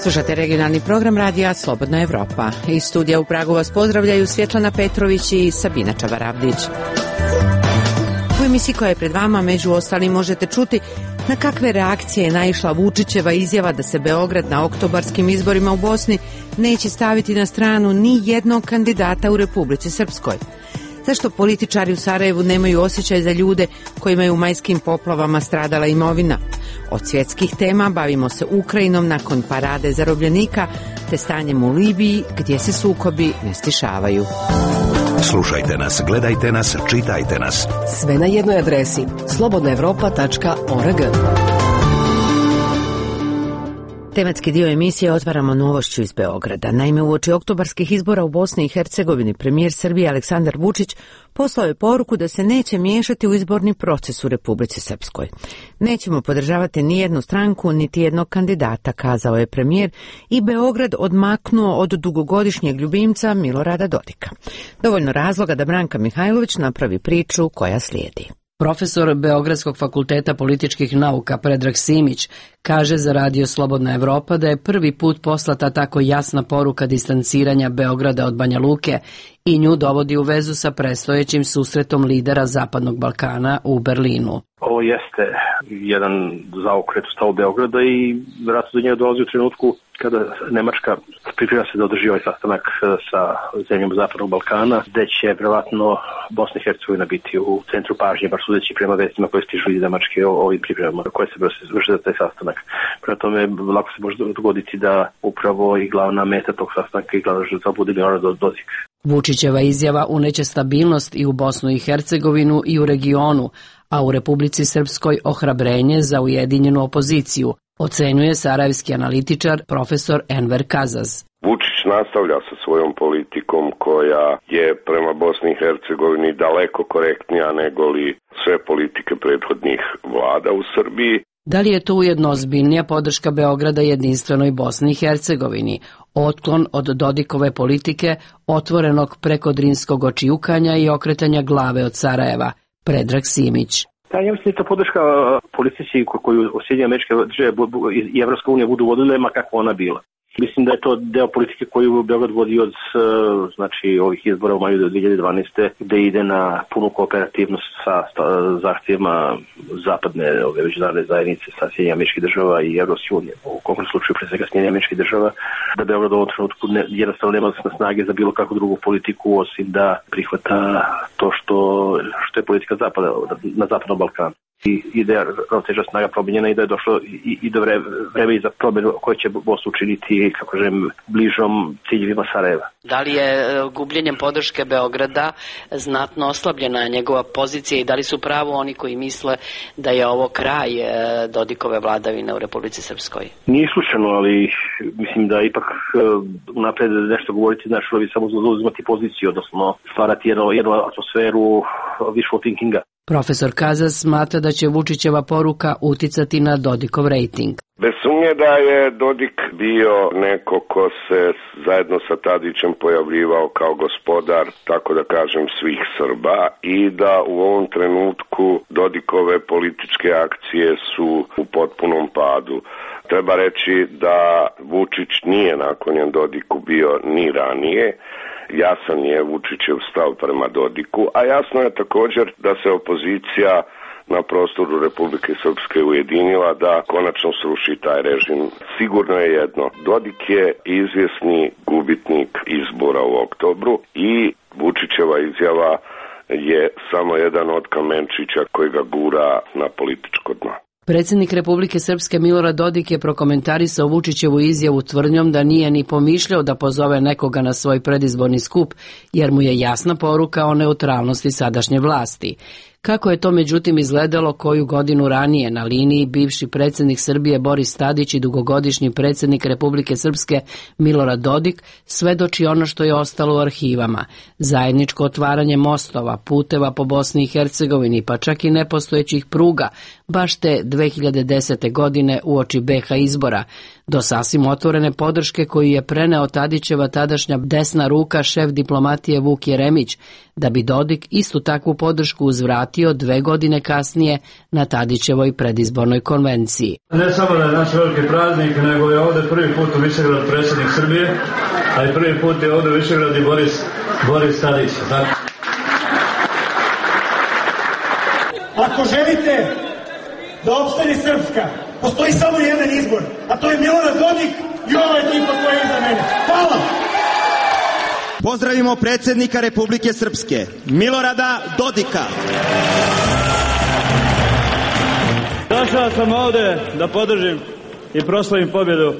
Slušate regionalni program radija Slobodna Evropa. Iz studija u Pragu vas pozdravljaju Svjetlana Petrović i Sabina Čavaravdić. U emisiji koja je pred vama među ostalim možete čuti na kakve reakcije je naišla Vučićeva izjava da se Beograd na oktobarskim izborima u Bosni neće staviti na stranu ni jednog kandidata u Republici Srpskoj. Zašto političari u Sarajevu nemaju osjećaj za ljude kojima je u majskim poplavama stradala imovina? Od svjetskih tema bavimo se Ukrajinom nakon parade zarobljenika te stanjem u Libiji gdje se sukobi ne stišavaju. Slušajte nas, gledajte nas, čitajte nas. Sve na jednoj adresi slobodnaevropa.org. Tematski dio emisije otvaramo novošću iz Beograda. Naime, uoči oktobarskih izbora u Bosni i Hercegovini premijer Srbije Aleksandar Vučić poslao je poruku da se neće miješati u izborni proces u Republici Srpskoj. Nećemo podržavati ni jednu stranku, niti jednog kandidata, kazao je premijer i Beograd odmaknuo od dugogodišnjeg ljubimca Milorada Dodika. Dovoljno razloga da Branka Mihajlović napravi priču koja slijedi. Profesor Beogradskog fakulteta političkih nauka Predrag Simić kaže za radio Slobodna Evropa da je prvi put poslata tako jasna poruka distanciranja Beograda od Banja Luke i nju dovodi u vezu sa predstojećim susretom lidera Zapadnog Balkana u Berlinu. Ovo jeste jedan zaokret u stavu Beograda i vjerojatno do njega dolazi u trenutku kada Nemačka priprema se da održi ovaj sastanak sa zemljom Zapadnog Balkana, gde će vjerojatno Bosna i Hercegovina biti u centru pažnje, baš sudeći prema vestima koje stižu iz Nemačke o ovim pripremama koje se vrše za taj sastanak. Prema tome, lako se može dogoditi da upravo i glavna meta tog sastanka i glavna žrtva bude Milorad Dodik. Vučićeva izjava uneće stabilnost i u Bosnu i Hercegovinu i u regionu, a u Republici Srpskoj ohrabrenje za ujedinjenu opoziciju, ocenjuje sarajevski analitičar profesor Enver Kazaz. Vučić nastavlja sa svojom politikom koja je prema Bosni i Hercegovini daleko korektnija nego li sve politike prethodnih vlada u Srbiji. Da li je to ujedno ozbiljnija podrška Beograda jedinstvenoj Bosni i Hercegovini, otklon od Dodikove politike, otvorenog prekodrinskog očijukanja i okretanja glave od Sarajeva? Predrag Simić. Ja mislim da je to podrška politici koju Sjedinjene Američke Države i Evropska unija budu vodile, ma kakva ona bila. Mislim da je to deo politike koju Beograd vodi od ovih izbora u maju 2012. gde ide na punu kooperativnost sa zahtjevima zapadne međunarodne zajednice sa Sjedinjenih Američkih Država i Evropske unije. U konkretnom slučaju pre svega Sjedinjenih Američkih Država, da Beograd u ovom trenutku jednostavno nema snage za bilo kakvu drugu politiku osim da prihvata to što je politika zapada na Zapadnom Balkanu. I da je ravnoteža snaga promijenjena i da je došlo i do vreme i za promjenu koje će Bosnu učiniti, kako želim, bližom ciljevima Sarajeva. Da li je gubljenjem podrške Beograda znatno oslabljena njegova pozicija i da li su pravo oni koji misle da je ovo kraj Dodikove vladavine u Republici Srpskoj? Nije slučajno, ali mislim da ipak unapred nešto govoriti znači da bi samo zauzimati poziciju, odnosno stvarati jednu atmosferu wishful thinkinga. Profesor Kazas smatra da će Vučićeva poruka uticati na Dodikov rejting. Bez sumnje da je Dodik bio neko ko se zajedno sa Tadićem pojavljivao kao gospodar, tako da kažem, svih Srba i da u ovom trenutku Dodikove političke akcije su u potpunom padu. Treba reći da Vučić nije naklonjen Dodiku bio ni ranije. Jasan je Vučićev stav prema Dodiku, a jasno je također da se opozicija na prostoru Republike Srpske ujedinila da konačno sruši taj režim. Sigurno je jedno, Dodik je izvjesni gubitnik izbora u oktobru i Vučićeva izjava je samo jedan od kamenčića koji ga gura na političko dno. Predsjednik Republike Srpske Milorad Dodik je prokomentarisao Vučićevu izjavu tvrdnjom da nije ni pomišljao da pozove nekoga na svoj predizborni skup, jer mu je jasna poruka o neutralnosti sadašnje vlasti. Kako je to međutim izgledalo koju godinu ranije na liniji bivši predsjednik Srbije Boris Tadić i dugogodišnji predsjednik Republike Srpske Milorad Dodik, svedoči ono što je ostalo u arhivama. Zajedničko otvaranje mostova, puteva po Bosni i Hercegovini, pa čak i nepostojećih pruga, baš te 2010. godine uoči BH izbora, do sasvim otvorene podrške koju je preneo Tadićeva tadašnja desna ruka, šef diplomatije Vuk Jeremić, da bi Dodik istu takvu podršku uzvratio 2 godine kasnije na Tadićevoj predizbornoj konvenciji. Ne samo da je naš veliki praznik, nego je ovde prvi put u Višegrad predsjednik Srbije, a i prvi put je ovde u Višegrad i Boris Tadić. Znači. Ako želite da opstane Srpska, postoji samo jedan izbor, a to je Milorad Dodik i ova ekipa koja je iza mene. Hvala! Pozdravimo predsjednika Republike Srpske, Milorada Dodika. Došao sam ovde da podržim i proslavim pobjedu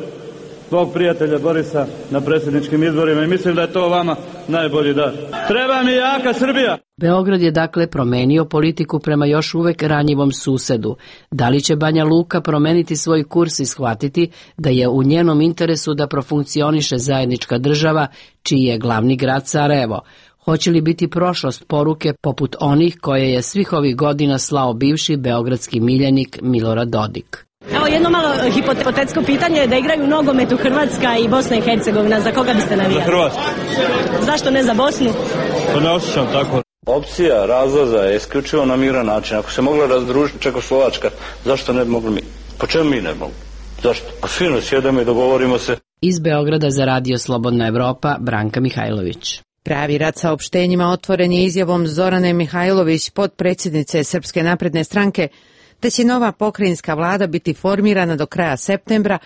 svog prijatelja Borisa na predsjedničkim izborima i mislim da je to vama najbolji dar. Treba mi jaka Srbija! Beograd je dakle promenio politiku prema još uvek ranjivom susedu. Da li će Banja Luka promeniti svoj kurs i shvatiti da je u njenom interesu da profunkcioniše zajednička država, čiji je glavni grad Sarajevo? Hoće li biti prošlost poruke poput onih koje je svih ovih godina slao bivši beogradski miljenik Milorad Dodik? Evo jedno malo hipotetsko pitanje, da igraju nogomet Hrvatska i Bosna i Hercegovina, za koga biste navijali? Za Hrvatsku. Zašto ne za Bosnu? Pa ne osjećam tako. Opcija razlaza je isključivo na miran način. Ako se mogla razdružiti Čekoslovačka, zašto ne bi mogli mi? Po čemu mi ne mogli? Zašto? Pa fino sjedemo i dogovorimo se. Iz Beograda za Radio Slobodna Evropa, Branka Mihajlović. Pravi rat saopštenjima otvoren je izjavom Zorane Mihajlović, potpredsjednice Srpske napredne stranke, da će nova pokrajinska vlada biti formirana do kraja septembra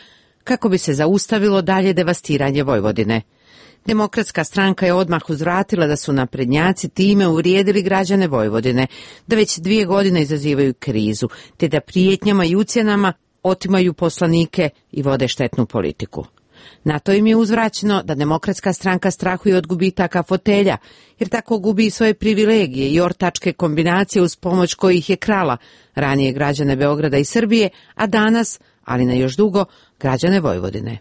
kako bi se zaustavilo dalje devastiranje Vojvodine. Demokratska stranka je odmah uzvratila da su naprednjaci time uvrijedili građane Vojvodine, da već 2 godine izazivaju krizu, te da prijetnjama i ucjenama otimaju poslanike i vode štetnu politiku. Na to im je uzvraćeno da Demokratska stranka strahuje od gubitaka fotelja, jer tako gubi i svoje privilegije i ortačke kombinacije uz pomoć kojih je krala ranije građane Beograda i Srbije, a danas, ali na još dugo, građane Vojvodine.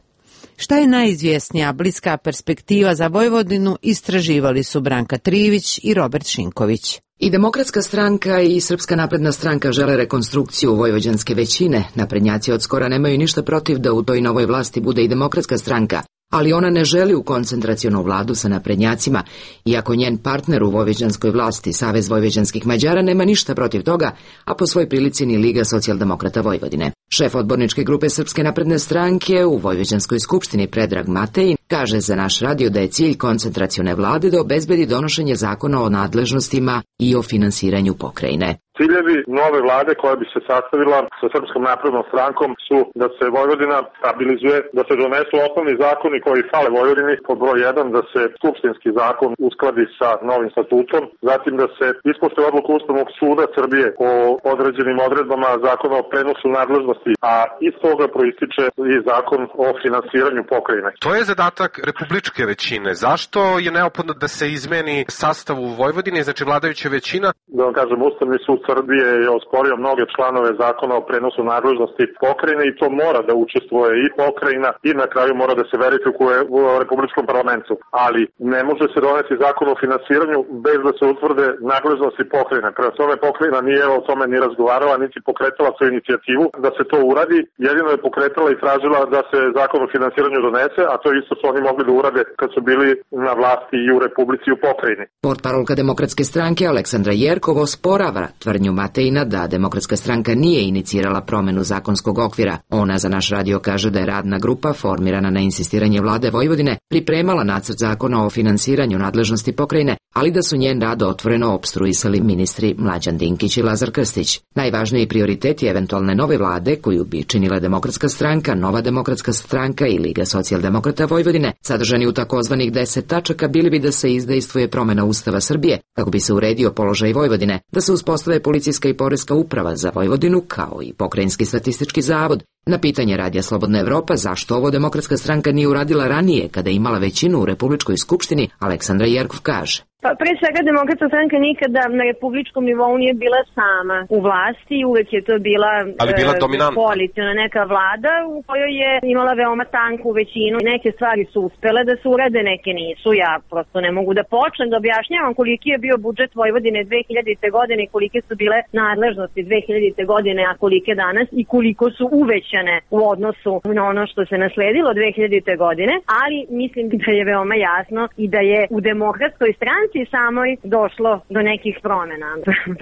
Šta je najizvjesnija bliska perspektiva za Vojvodinu, istraživali su Branka Trivić i Robert Šinković. I Demokratska stranka i Srpska napredna stranka žele rekonstrukciju vojvođanske većine. Naprednjaci od skora nemaju ništa protiv da u toj novoj vlasti bude i Demokratska stranka, ali ona ne želi u koncentracionu vladu sa naprednjacima, iako njen partner u vojvođanskoj vlasti, Savez vojvođanskih Mađara, nema ništa protiv toga, a po svoj prilici ni Liga socijaldemokrata Vojvodine. Šef odborničke grupe Srpske napredne stranke u Vojvođanskoj skupštini Predrag Matej kaže za naš radio da je cilj koncentracione vlade da obezbedi donošenje zakona o nadležnostima i o finansiranju pokrajine. Ciljevi nove vlade koja bi se sastavila sa Srpskom naprednom strankom su da se Vojvodina stabilizuje, da se donesu osnovni zakoni koji fale Vojvodini, pod broj 1 da se skupštinski zakon uskladi sa novim statutom, zatim da se ispoštuje odluku Ustavnog suda Srbije o određenim odredbama zakona o prenosu nadležnosti, a iz toga proističe i zakon o finansiranju pokrajine. To je zadatak republičke većine. Zašto je neophodno da se izmeni sastav u Vojvodini, znači vladajuća većina? Da vam kažem, Ustavni sud Srbije je osporio mnoge članove zakona o prenosu nadležnosti pokrajine i to mora da učestvuje i pokrajina i na kraju mora da se verifikuje u Republičkom parlamentu. Ali ne može se doneti zakon o finansiranju bez da se utvrde nadležnosti pokrajine. Prema tome pokrajina nije o tome ni razgovarala, niti pokretala svoju inicijativu da se to uradi. Jedino je pokretala i tražila da se zakon o finansiranju donese, a to isto su oni mogli da urade kad su bili na vlasti i u Republici i u pokrajini. Portparolka Demokratske stranke Aleksandra Jerkov osporava tvrdnju Matejina da Demokratska stranka nije inicirala promenu zakonskog okvira. Ona za naš radio kaže da je radna grupa formirana na insistiranje vlade Vojvodine pripremala nacrt zakona o finansiranju nadležnosti pokrajine, ali da su njen rad otvoreno opstruisali ministri Mlađan Dinkić i Lazar Krstić. Najvažniji prioritet je eventualne nove vlade koju bi činila Demokratska stranka, Nova demokratska stranka i Liga socijaldemokrata Vojvodine, sadržani u takozvanih 10 tačaka, bili bi da se izdejstvuje promena Ustava Srbije kako bi se uredio položaj Vojvodine, da se uspostave policijska i poreska uprava za Vojvodinu kao i pokrajinski statistički zavod. Na pitanje Radija Slobodna Evropa zašto ovo Demokratska stranka nije uradila ranije kada je imala većinu u Republičkoj skupštini, Aleksandra Jerkov kaže. Pa pre svega Demokratska stranka nikada na republičkom nivou nije bila sama u vlasti, uvek je to bila koalicijna neka vlada u kojoj je imala veoma tanku većinu. Neke stvari su uspele da se urade, neke nisu. Ja prosto ne mogu da počnem da objašnjavam koliki je bio budžet Vojvodine 2000. godine i kolike su bile nadležnosti 2000. godine, a kolike danas i koliko su uvećane poboljšane u odnosu na ono što se nasledilo 2000. godine, ali mislim da je veoma jasno i da je u Demokratskoj stranci samoj došlo do nekih promjena.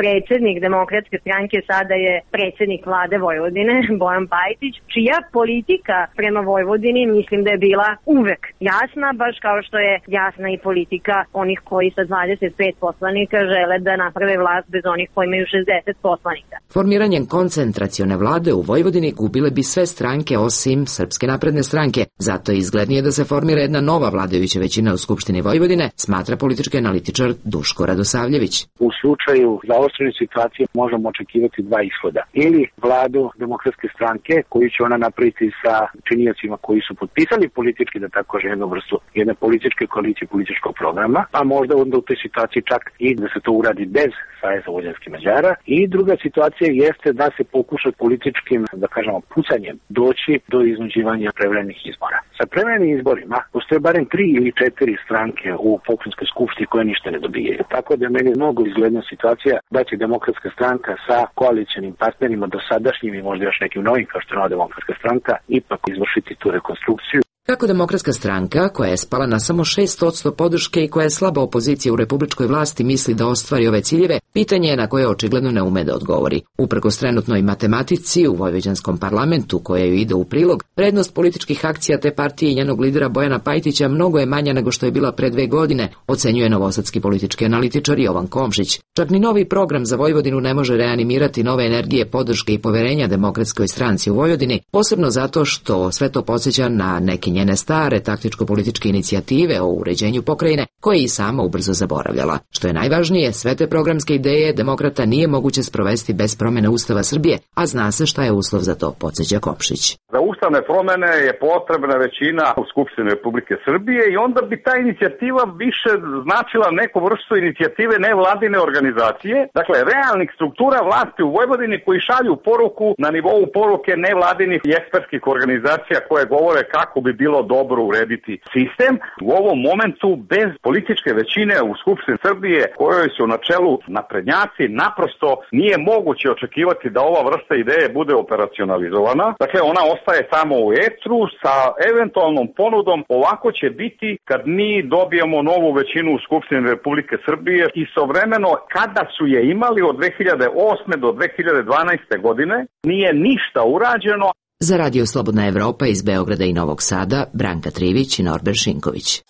Predsjednik Demokratske stranke sada je predsjednik vlade Vojvodine, Bojan Pajtić, čija politika prema Vojvodini mislim da je bila uvek jasna, baš kao što je jasna i politika onih koji sa 25 poslanika žele da naprave vlast bez onih koji imaju 60 poslanika. Formiranjem koncentracione vlade u Vojvodini gubile bi sve stranke osim Srpske napredne stranke. Zato je izglednije da se formira jedna nova vladajuća većina u Skupštini Vojvodine, smatra politički analitičar Duško Radosavljević. U slučaju zaoštrene situacije možemo očekivati dva ishoda. Ili vladu Demokratske stranke koju će ona napraviti sa činiocima koji su potpisali politički, da tako kažem, jednu vrstu jedne političke koalicije, političkog programa, a možda onda u toj situaciji čak i da se to uradi bez Saveza vojvođanskih Mađara. I druga situacija jeste da se pokuša političkim, da kažemo, pucanjem doći do iznuđivanja prevremenih izbora. Sa prevremenim izborima postoje barem 3 ili 4 stranke u pokrajinskoj skupštini koje ništa ne dobijaju. Tako da je meni mnogo izgledna situacija da će Demokratska stranka sa koalicionim partnerima dosadašnjim i možda još nekim novim kao što je Nova demokratska stranka ipak izvršiti tu rekonstrukciju. Kako Demokratska stranka, koja je spala na samo 6% podrške i koja je slaba opozicija u republičkoj vlasti, misli da ostvari ove ciljeve, pitanje je na koje očigledno ne ume da odgovori. Uprkos trenutnoj matematici u vojvođanskom parlamentu, koja ju ide u prilog, prednost političkih akcija te partije i njenog lidera Bojana Pajtića mnogo je manja nego što je bila pre 2 godine, ocenjuje novosadski politički analitičar Jovan Komšić. Čak ni novi program za Vojvodinu ne može reanimirati nove energije, podrške i poverenja Demokratskoj stranci u Vojvodini, posebno zato što sve to podsjeća na neke njene stare taktičko-političke inicijative o uređenju pokrajine, koje i sama ubrzo zaboravljala. Što je najvažnije, sve te programske ideje demokrata nije moguće sprovesti bez promjene Ustava Srbije, a zna se šta je uslov za to, podsjeća Komšić. Za ustavne promjene je potrebna većina u Skupštini Republike Srbije i onda bi ta inicijativa više značila neku vrstu inicijative nevladine organizacije, dakle realnih struktura vlasti u Vojvodini koji šalju poruku na nivou poruke nevladinih i ekspertskih organizacija koje govore kako bi bilo dobro urediti sistem. U ovom momentu bez političke većine u Skupštini Srbije, kojoj su na čelu naprednjaci, naprosto nije moguće očekivati da ova vrsta ideje bude operacionalizovana. Dakle, ona ostaje samo u etru sa eventualnom ponudom. Ovako će biti kad mi dobijemo novu većinu u Skupštini Republike Srbije. Istovremeno, kada su je imali od 2008. do 2012. godine, nije ništa urađeno. Za Radio Slobodna Evropa iz Beograda i Novog Sada, Branka Trivić i Norbert Šinković.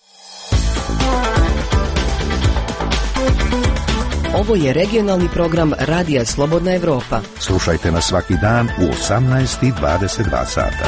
Ovo je regionalni program Radija Slobodna Evropa. Slušajte nas svaki dan u 18:22 sata.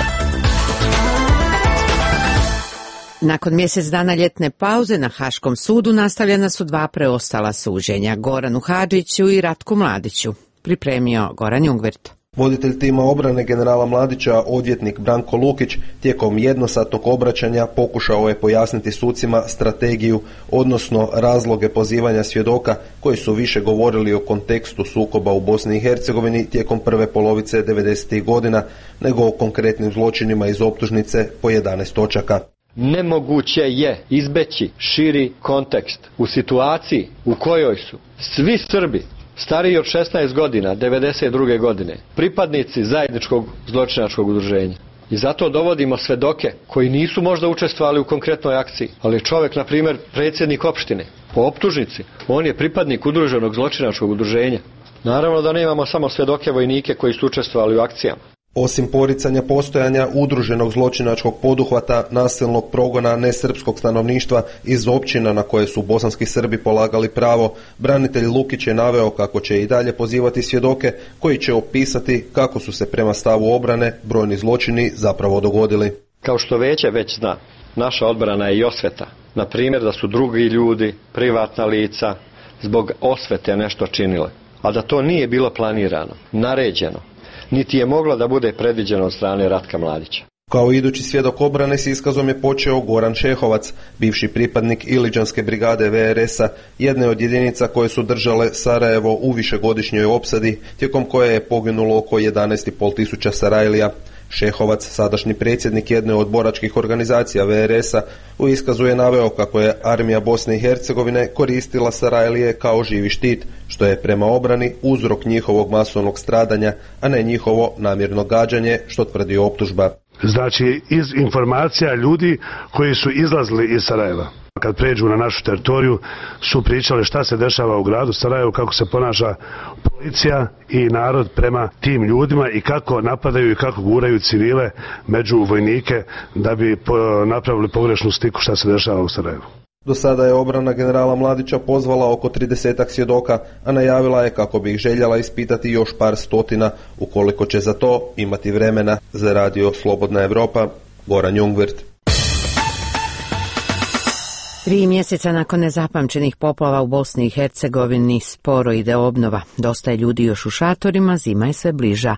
Nakon mjesec dana ljetne pauze na Haškom sudu nastavljena su 2 preostala suđenja, Goranu Hadžiću i Ratku Mladiću. Pripremio Goran Jungvirt. Voditelj tima obrane generala Mladića, odvjetnik Branko Lukić, tijekom jednosatnog obraćanja pokušao je pojasniti sucima strategiju, odnosno razloge pozivanja svjedoka koji su više govorili o kontekstu sukoba u Bosni i Hercegovini tijekom prve polovice 90. godina, nego o konkretnim zločinima iz optužnice po 11 točaka. Nemoguće je izbeći širi kontekst u situaciji u kojoj su svi Srbi stariji od 16 godina, 92. godine, pripadnici zajedničkog zločinačkog udruženja. I zato dovodimo svedoke koji nisu možda učestvovali u konkretnoj akciji, ali čovjek, na primjer, predsjednik opštine, po optužnici, on je pripadnik udruženog zločinačkog udruženja. Naravno da nemamo samo svedoke vojnike koji su učestvovali u akcijama. Osim poricanja postojanja udruženog zločinačkog poduhvata, nasilnog progona nesrpskog stanovništva iz općina na koje su bosanski Srbi polagali pravo, branitelj Lukić je naveo kako će i dalje pozivati svjedoke koji će opisati kako su se prema stavu obrane brojni zločini zapravo dogodili. Kao što Veće već zna, naša odbrana je i osveta. Na primjer da su drugi ljudi, privatna lica, zbog osvete nešto činile, a da to nije bilo planirano, naređeno, niti je moglo da bude predviđeno od strane Ratka Mladića. Kao idući svjedok obrane s iskazom je počeo Goran Šehovac, bivši pripadnik Iliđanske brigade VRS-a, jedne od jedinica koje su držale Sarajevo u višegodišnjoj opsadi, tijekom koje je poginulo oko 11.500 Sarajlija. Šehovac, sadašnji predsjednik jedne od boračkih organizacija VRS-a, u iskazu je naveo kako je armija Bosne i Hercegovine koristila Sarajlije kao živi štit, što je prema obrani uzrok njihovog masovnog stradanja, a ne njihovo namjerno gađanje, što tvrdi optužba. Znači, iz informacija ljudi koji su izlazili iz Sarajeva, kad pređu na našu teritoriju, su pričali šta se dešava u gradu Sarajevu, kako se ponaša policija i narod prema tim ljudima i kako napadaju i kako guraju civile među vojnike da bi napravili pogrešnu sliku šta se dešava u Sarajevu. Do sada je obrana generala Mladića pozvala oko 30 svjedoka, a najavila je kako bi ih željela ispitati još par stotina, ukoliko će za to imati vremena. Za radio Slobodna Evropa, Goran Jungwirth. 3 mjeseca nakon nezapamćenih poplava u Bosni i Hercegovini sporo ide obnova. Dosta je ljudi još u šatorima, zima je sve bliža.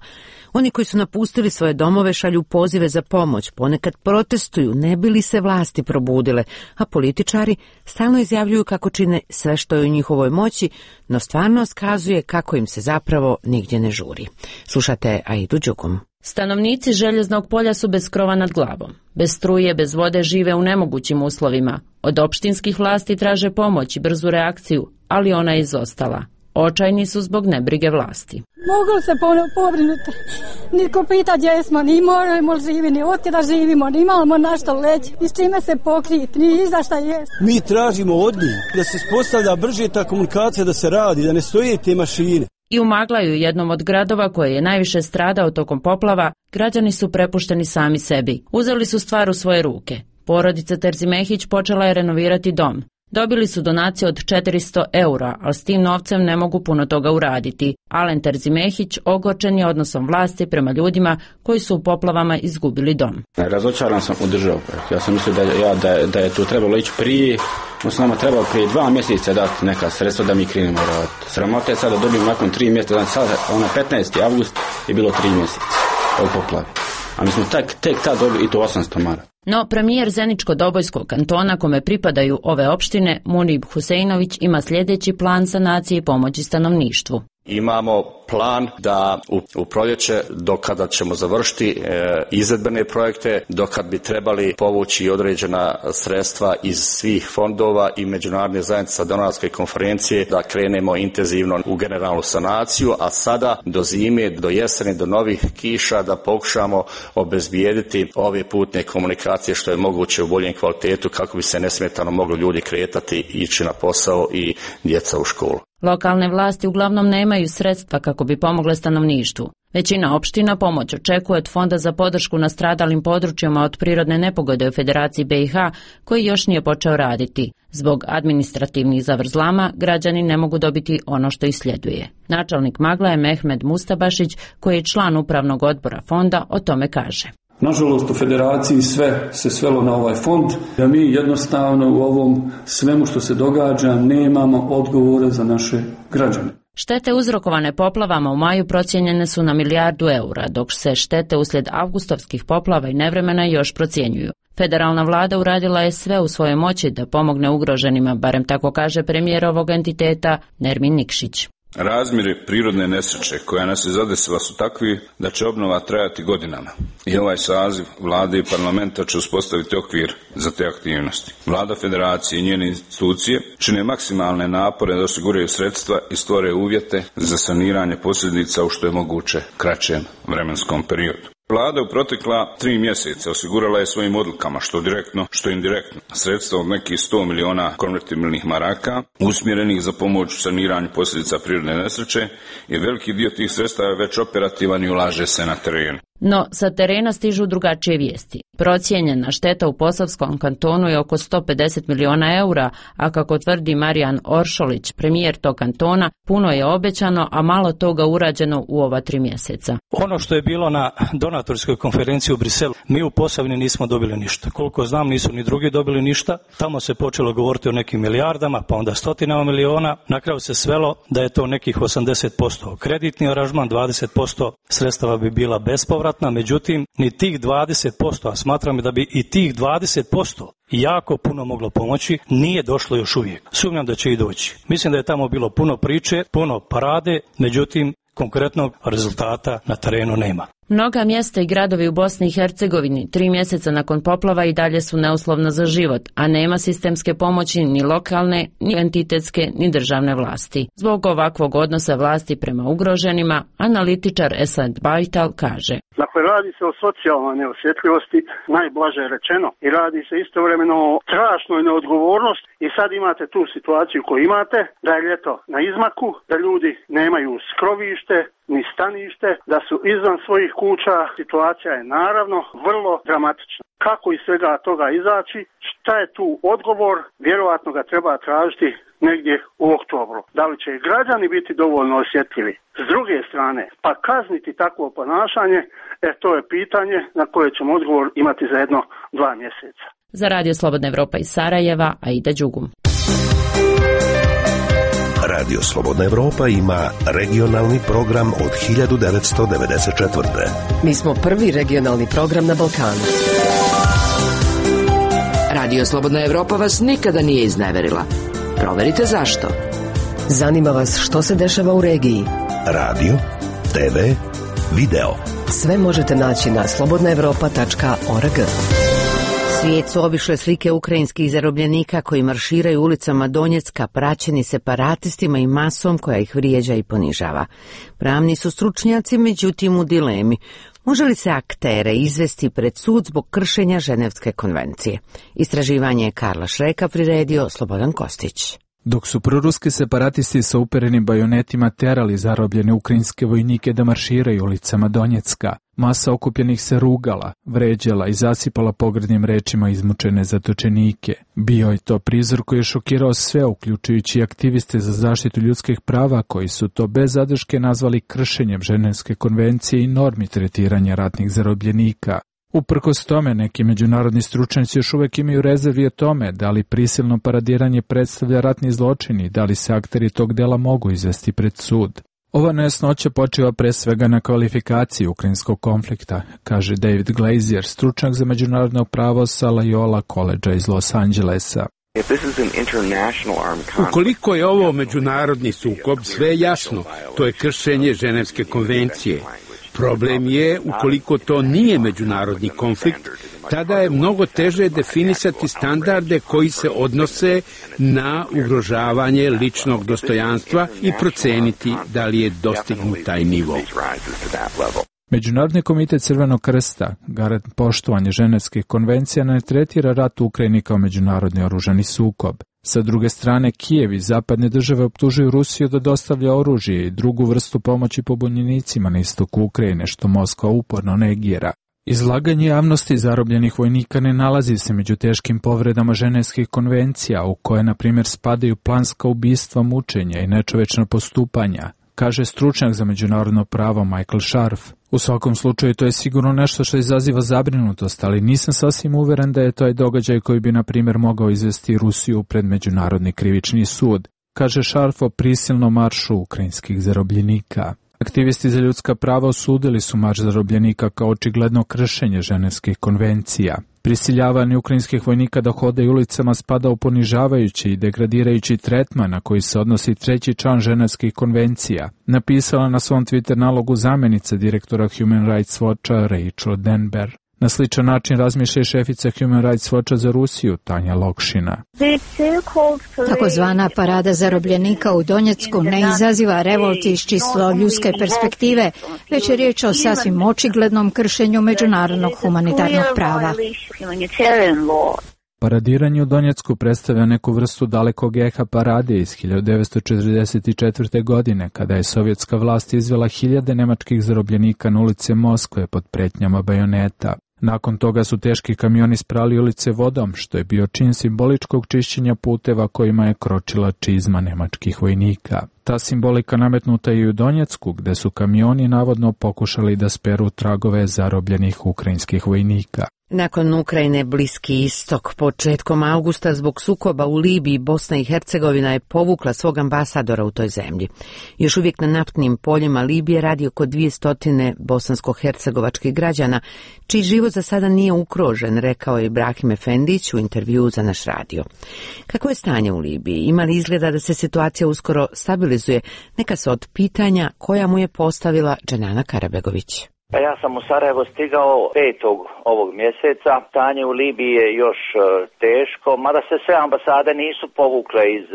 Oni koji su napustili svoje domove šalju pozive za pomoć, ponekad protestuju, ne bi li se vlasti probudile, a političari stalno izjavljuju kako čine sve što je u njihovoj moći, no stvarnost kazuje kako im se zapravo nigdje ne žuri. Slušate Aidu Đugum. Stanovnici Željeznog polja su bez krova nad glavom. Bez struje, bez vode žive u nemogućim uslovima. Od opštinskih vlasti traže pomoć i brzu reakciju, ali ona je izostala. Očajni su zbog nebrige vlasti. Mogu se pobrinuti. Niko pita gdje smo, ni moramo živi, ni od da živimo, ni imamo na što leći, ni s čime se pokriti, ni za šta jest. Mi tražimo od njih da se spostavlja brže ta komunikacija, da se radi, da ne stoje te mašine. I u Maglaju, jednom od gradova koje je najviše stradao tokom poplava, građani su prepušteni sami sebi. Uzeli su stvar u svoje ruke. Porodica Terzimehić počela je renovirati dom. Dobili su donaciju od 400 €, ali s tim novcem ne mogu puno toga uraditi. Alen Terzimehić ogorčen je odnosom vlasti prema ljudima koji su u poplavama izgubili dom. Razočaran sam u državu. Ja sam mislio da je tu trebalo ići prije. Odnosno nama trebalo prije 2 mjeseca dati neka sredstva da mi krenemo raditi. Sramota je sada dobijemo nakon 3 mjeseca. Znači sada, 15. avgust je bilo 3 mjeseca od poplave. A mi smo tek tad dobili i to 800 maraka. No, premijer Zeničko-Dobojskog kantona kome pripadaju ove opštine, Munib Huseinović, ima sljedeći plan sanacije i pomoći stanovništvu. Imamo plan da u proljeće, do kada ćemo završiti izvedbene projekte, do kad bi trebali povući određena sredstva iz svih fondova i međunarodne zajednice donorske konferencije, da krenemo intenzivno u generalnu sanaciju, a sada do zime, do jeseni, do novih kiša da pokušamo obezbijediti ove putne komunikacije što je moguće u boljem kvalitetu kako bi se nesmetano mogli ljudi kretati, ići na posao i djeca u školu. Lokalne vlasti uglavnom nemaju sredstva kako bi pomogle stanovništvu. Većina opština pomoć očekuje od Fonda za podršku nastradalim područjima od prirodne nepogode u Federaciji BiH, koji još nije počeo raditi. Zbog administrativnih zavrzlama građani ne mogu dobiti ono što ih sljeduje. Načelnik Magla je Mehmed Mustabašić, koji je član upravnog odbora fonda, o tome kaže. Nažalost, u Federaciji sve se svelo na ovaj fond, da mi jednostavno u ovom svemu što se događa nemamo odgovore za naše građane. Štete uzrokovane poplavama u maju procijenjene su na milijardu €, dok se štete uslijed avgustovskih poplava i nevremena još procjenjuju. Federalna vlada uradila je sve u svojoj moći da pomogne ugroženima, barem tako kaže premijer ovog entiteta Nermin Nikšić. Razmjeri prirodne nesreće koja nas je zadesila su takvi da će obnova trajati godinama i ovaj saziv vlade i parlamenta će uspostaviti okvir za te aktivnosti. Vlada Federacije i njene institucije čine maksimalne napore da osiguraju sredstva i stvore uvjete za saniranje posljedica u što je moguće kraćem vremenskom periodu. Vlada u protekla 3 mjeseca osigurala je svojim odlukama, što direktno, što indirektno, sredstva od nekih 100 miliona konvertibilnih maraka, usmjerenih za pomoć u saniranju posljedica prirodne nesreće, i veliki dio tih sredstava je već operativan i ulaže se na terenu. No, sa terena stižu drugačije vijesti. Procijenjena šteta u Posavskom kantonu je oko 150 miliona €, a kako tvrdi Marijan Oršolić, premijer tog kantona, puno je obećano, a malo toga urađeno u ova 3 mjeseca. Ono što je bilo na donatorskoj konferenciji u Briselu, mi u Posavini nismo dobili ništa. Koliko znam, nisu ni drugi dobili ništa. Tamo se počelo govoriti o nekim milijardama, pa onda stotinama miliona. Na kraju se svelo da je to nekih 80% kreditni aranžman, 20% sredstava bi bila bespovratna, međutim, ni tih 20%, a smatram da bi i tih 20% jako puno moglo pomoći, nije došlo još uvijek. Sumnjam da će i doći. Mislim da je tamo bilo puno priče, puno parade, međutim, konkretnog rezultata na terenu nema. Mnoga mjesta i gradovi u Bosni i Hercegovini 3 mjeseca nakon poplava i dalje su neuslovna za život, a nema sistemske pomoći ni lokalne, ni entitetske, ni državne vlasti. Zbog ovakvog odnosa vlasti prema ugroženima, analitičar Esad Bajtal kaže: Dakle, radi se o socijalnoj neosjetljivosti, najblaže rečeno, i radi se istovremeno o strašnoj neodgovornosti. I sad imate tu situaciju koju imate, da je ljeto na izmaku, da ljudi nemaju skrovište, ni stanište, da su izvan svojih kuća. Situacija je naravno vrlo dramatična. Kako iz svega toga izaći? Šta je tu odgovor? Vjerovatno ga treba tražiti negdje u oktobru. Da li će i građani biti dovoljno osjetljivi? S druge strane, pa kazniti takvo ponašanje, to je pitanje na koje ćemo odgovor imati za 1-2 mjeseca. Za Radio Slobodna Evropa iz Sarajeva, Aida Đugum. Radio Slobodna Evropa ima regionalni program od 1994. Mi smo prvi regionalni program na Balkanu. Radio Slobodna Evropa vas nikada nije izneverila. Proverite zašto. Zanima vas što se dešava u regiji. Radio, TV, video. Sve možete naći na slobodnaevropa.org. Svijet su obišle slike ukrajinskih zarobljenika koji marširaju ulicama Donjecka, praćeni separatistima i masom koja ih vrijeđa i ponižava. Pravni su stručnjaci, međutim, u dilemi. Može li se aktere izvesti pred sud zbog kršenja Ženevske konvencije? Istraživanje je Karla Šreka priredio Slobodan Kostić. Dok su proruski separatisti sa uperenim bajonetima terali zarobljene ukrajinske vojnike da marširaju ulicama Donjecka, masa okupljenih se rugala, vređala i zasipala pogrdnim rečima izmučene zatočenike. Bio je to prizor koji je šokirao sve, uključujući aktiviste za zaštitu ljudskih prava, koji su to bez zadrške nazvali kršenjem Ženevske konvencije i normi tretiranja ratnih zarobljenika. Uprkos tome, neki međunarodni stručnjaci još uvijek imaju rezervi o tome da li prisilno paradiranje predstavlja ratni zločin i da li se akteri tog dela mogu izvesti pred sud. Ova nejasnoća počiva pre svega na kvalifikaciji ukrajinskog konflikta, kaže David Glazier, stručnjak za međunarodno pravo sa Loyola College iz Los Angelesa. Ukoliko je ovo međunarodni sukob, sve je jasno, to je kršenje Ženevske konvencije. Problem je, ukoliko to nije međunarodni konflikt, tada je mnogo teže definisati standarde koji se odnose na ugrožavanje ličnog dostojanstva i proceniti da li je dostignut taj nivo. Međunarodni komitet Crvenog krsta, garant poštovanje Ženevskih konvencija, ne tretira rat u Ukrajini kao međunarodni oružani sukob. Sa druge strane, Kijev i zapadne države optužuju Rusiju da dostavlja oružje i drugu vrstu pomoći pobunjenicima na istoku Ukrajine, što Moskva uporno negira. Izlaganje javnosti zarobljenih vojnika ne nalazi se među teškim povredama Ženevskih konvencija, u koje, na primjer, spadaju planska ubistva, mučenja i nečovečna postupanja, kaže stručnjak za međunarodno pravo Michael Scharf. U svakom slučaju to je sigurno nešto što izaziva zabrinutost, ali nisam sasvim uveren da je to događaj koji bi, na primjer, mogao izvesti Rusiju pred Međunarodni krivični sud, kaže Scharf o prisilnom maršu ukrajinskih zarobljenika. Aktivisti za ljudska prava osudili su marš zarobljenika kao očigledno kršenje Ženevskih konvencija. Prisiljavanje ukrajinskih vojnika da hodaju ulicama spada u ponižavajući i degradirajući tretman na koji se odnosi 3. član Ženevskih konvencija, napisala na svom Twitter nalogu zamjenica direktora Human Rights Watcha Rachel Denber. Na sličan način razmišlja i šefica Human Rights Watcha za Rusiju, Tanja Lokšina. Takozvana parada zarobljenika u Donjecku ne izaziva revolt iz čisto ljudske perspektive, već je riječ o sasvim očiglednom kršenju međunarodnog humanitarnog prava. Paradiranje u Donjecku predstavlja neku vrstu dalekog eha parade iz 1944. godine, kada je sovjetska vlast izvela hiljade nemačkih zarobljenika na ulice Moskve pod pretnjama bajoneta. Nakon toga su teški kamioni sprali ulice vodom, što je bio čin simboličkog čišćenja puteva kojima je kročila čizma nemačkih vojnika. Ta simbolika nametnuta je i u Donjecku, gde su kamioni navodno pokušali da speru tragove zarobljenih ukrajinskih vojnika. Nakon Ukrajine, Bliski istok, početkom augusta zbog sukoba u Libiji, Bosna i Hercegovina je povukla svog ambasadora u toj zemlji. Još uvijek na naftnim poljima Libije radi oko 200 bosansko-hercegovačkih građana, čiji život za sada nije ugrožen, rekao je Ibrahim Efendić u intervjuu za naš radio. Kako je stanje u Libiji? Ima li izgleda da se situacija uskoro stabilizuje? Neka se od pitanja koja mu je postavila Dženana Karabegović. Pa ja sam u Sarajevo stigao 5. ovog mjeseca. Stanje u Libiji je još teško, mada se sve ambasade nisu povukle iz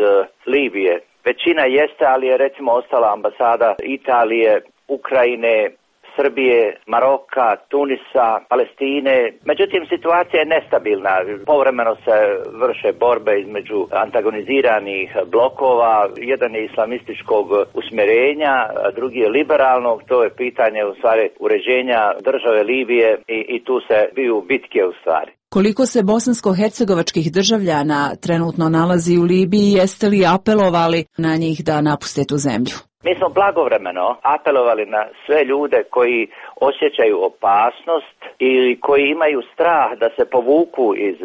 Libije. Većina jeste, ali je recimo ostala ambasada Italije, Ukrajine, Srbije, Maroka, Tunisa, Palestine. Međutim, situacija je nestabilna. Povremeno se vrše borbe između antagoniziranih blokova. Jedan je islamističkog usmjerenja, a drugi je liberalnog. To je pitanje u stvari uređenja države Libije i tu se biju bitke u stvari. Koliko se bosansko-hercegovačkih državljana trenutno nalazi u Libiji, jeste li apelovali na njih da napuste tu zemlju? Mi smo blagovremeno apelovali na sve ljude koji osjećaju opasnost ili koji imaju strah da se povuku iz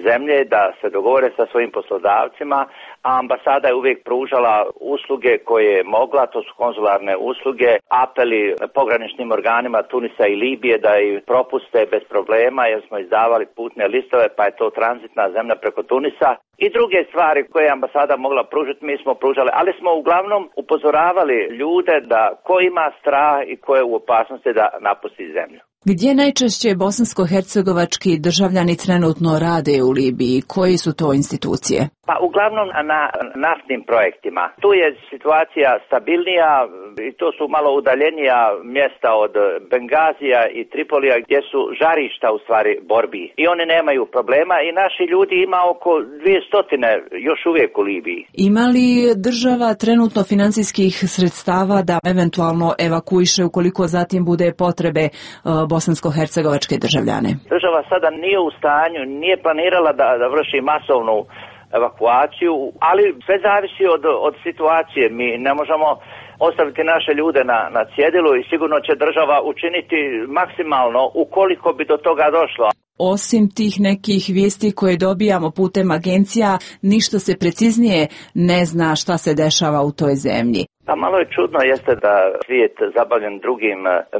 zemlje, da se dogovore sa svojim poslodavcima, a ambasada je uvijek pružala usluge koje je mogla, to su konzularne usluge, apeli pograničnim organima Tunisa i Libije da ih propuste bez problema jer smo izdavali putne listove, pa je to tranzitna zemlja preko Tunisa. I druge stvari koje je ambasada mogla pružiti, mi smo pružali, ali smo uglavnom upozoravali ljude da ko ima strah i ko je u opasnosti da napusti zemlju. Gdje najčešće bosansko-hercegovački državljani trenutno rade u Libiji? Koji su to institucije? Pa uglavnom na naftnim projektima. Tu je situacija stabilnija i to su malo udaljenija mjesta od Bengazija i Tripolija gdje su žarišta u stvari borbi. I oni nemaju problema i naši ljudi ima oko 200 još uvijek u Libiji. Ima li država trenutno financijskih sredstava da eventualno evakuiše ukoliko zatim bude potrebe bosansko-hercegovačke državljane? Država sada nije u stanju, nije planirala da vrši masovnu evakuaciju, ali sve zavisi od situacije. Mi ne možemo ostaviti naše ljude na cjedilu i sigurno će država učiniti maksimalno ukoliko bi do toga došlo. Osim tih nekih vijesti koje dobijamo putem agencija, ništa se preciznije ne zna šta se dešava u toj zemlji. Pa malo je čudno jeste da svijet zabavljen drugim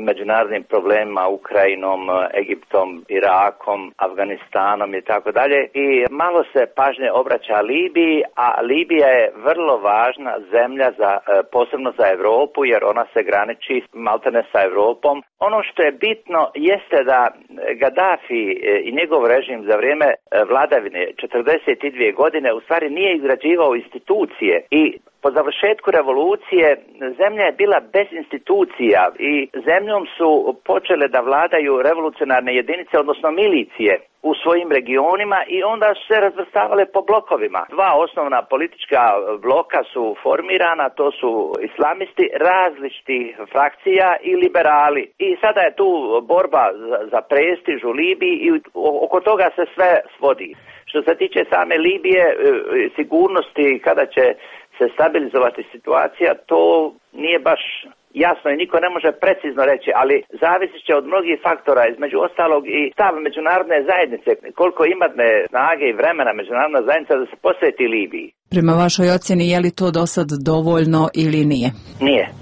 međunarodnim problemima, Ukrajinom, Egiptom, Irakom, Afganistanom i tako dalje. I malo se pažnje obraća Libiji, a Libija je vrlo važna zemlja posebno za Europu jer ona se graniči maltene sa Europom. Ono što je bitno jeste da Gaddafi i njegov režim za vrijeme vladavine 42 godine u stvari nije izgrađivao institucije i po završetku revolucije zemlja je bila bez institucija i zemljom su počele da vladaju revolucionarne jedinice, odnosno milicije u svojim regionima i onda su se razvrstavale po blokovima. Dva osnovna politička bloka su formirana, to su islamisti različitih frakcija i liberali. I sada je tu borba za prestiž u Libiji i oko toga se sve svodi. Što se tiče same Libije, sigurnosti kada će se stabilizovati situacija, to nije baš jasno i niko ne može precizno reći, ali zavisit će od mnogih faktora, između ostalog i stav međunarodne zajednice, koliko imatne snage i vremena međunarodna zajednica da se posveti Libiji. Prema vašoj ocjeni, je li to do sad dovoljno ili nije?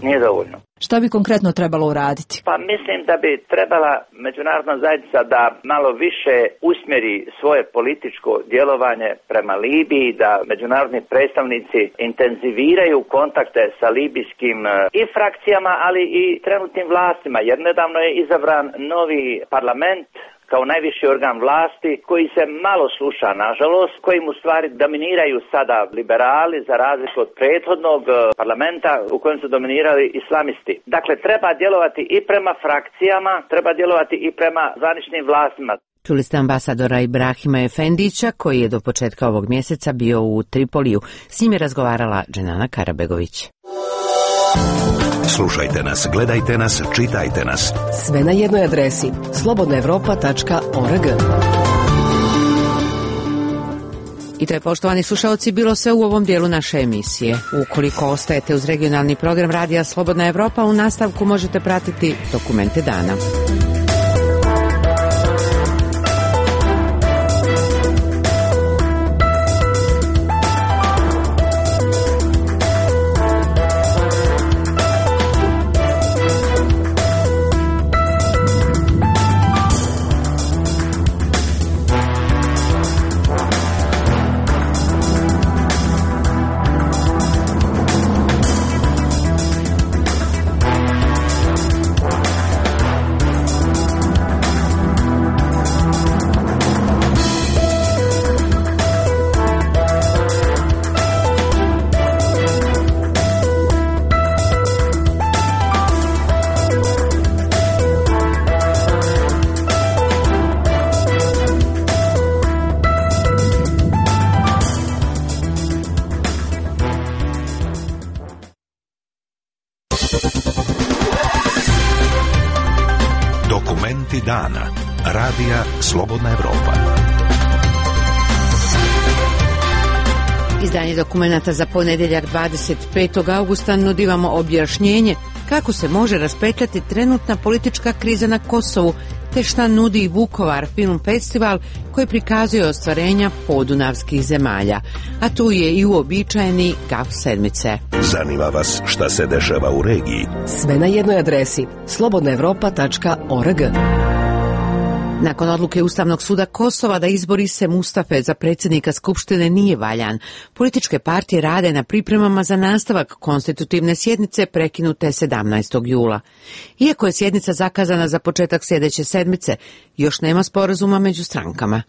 Nije dovoljno. Šta bi konkretno trebalo uraditi? Pa mislim da bi trebala međunarodna zajednica da malo više usmjeri svoje političko djelovanje prema Libiji, da međunarodni predstavnici intenziviraju kontakte sa libijskim i frakcijama, ali i trenutnim vlastima, jer nedavno je izabran novi parlament kao najviši organ vlasti koji se malo sluša, nažalost, kojim u stvari dominiraju sada liberali za razliku od prethodnog parlamenta u kojem su dominirali islamisti. Dakle, treba djelovati i prema frakcijama, treba djelovati i prema zvaničnim vlastima. Čuli ste ambasadora Ibrahima Efendića koji je do početka ovog mjeseca bio u Tripoliju. S njim je razgovarala Dženana Karabegović. Slušajte nas, gledajte nas, čitajte nas. Sve na jednoj adresi slobodnaevropa.org. I to je, poštovani slušalci, bilo sve u ovom dijelu naše emisije. Ukoliko ostajete uz regionalni program Radija Slobodna Evropa, u nastavku možete pratiti dokumente dana. Dokumenti dana. Radija Slobodna Evropa. Izdanje dokumenata za ponedjeljak 25. augusta nudi vam objašnjenje kako se može raspetljati trenutna politička kriza na Kosovu, te šta nudi Vukovar film festival koji prikazuje ostvarenja podunavskih zemalja. A tu je i uobičajeni GAF sedmice. Zanima vas šta se dešava u regiji? Sve na jednoj adresi slobodnaevropa.org. Nakon odluke Ustavnog suda Kosova da izbori se Mustafe za predsjednika Skupštine nije valjan, političke partije rade na pripremama za nastavak konstitutivne sjednice prekinute 17. jula. Iako je sjednica zakazana za početak sljedeće sedmice, još nema sporazuma među strankama.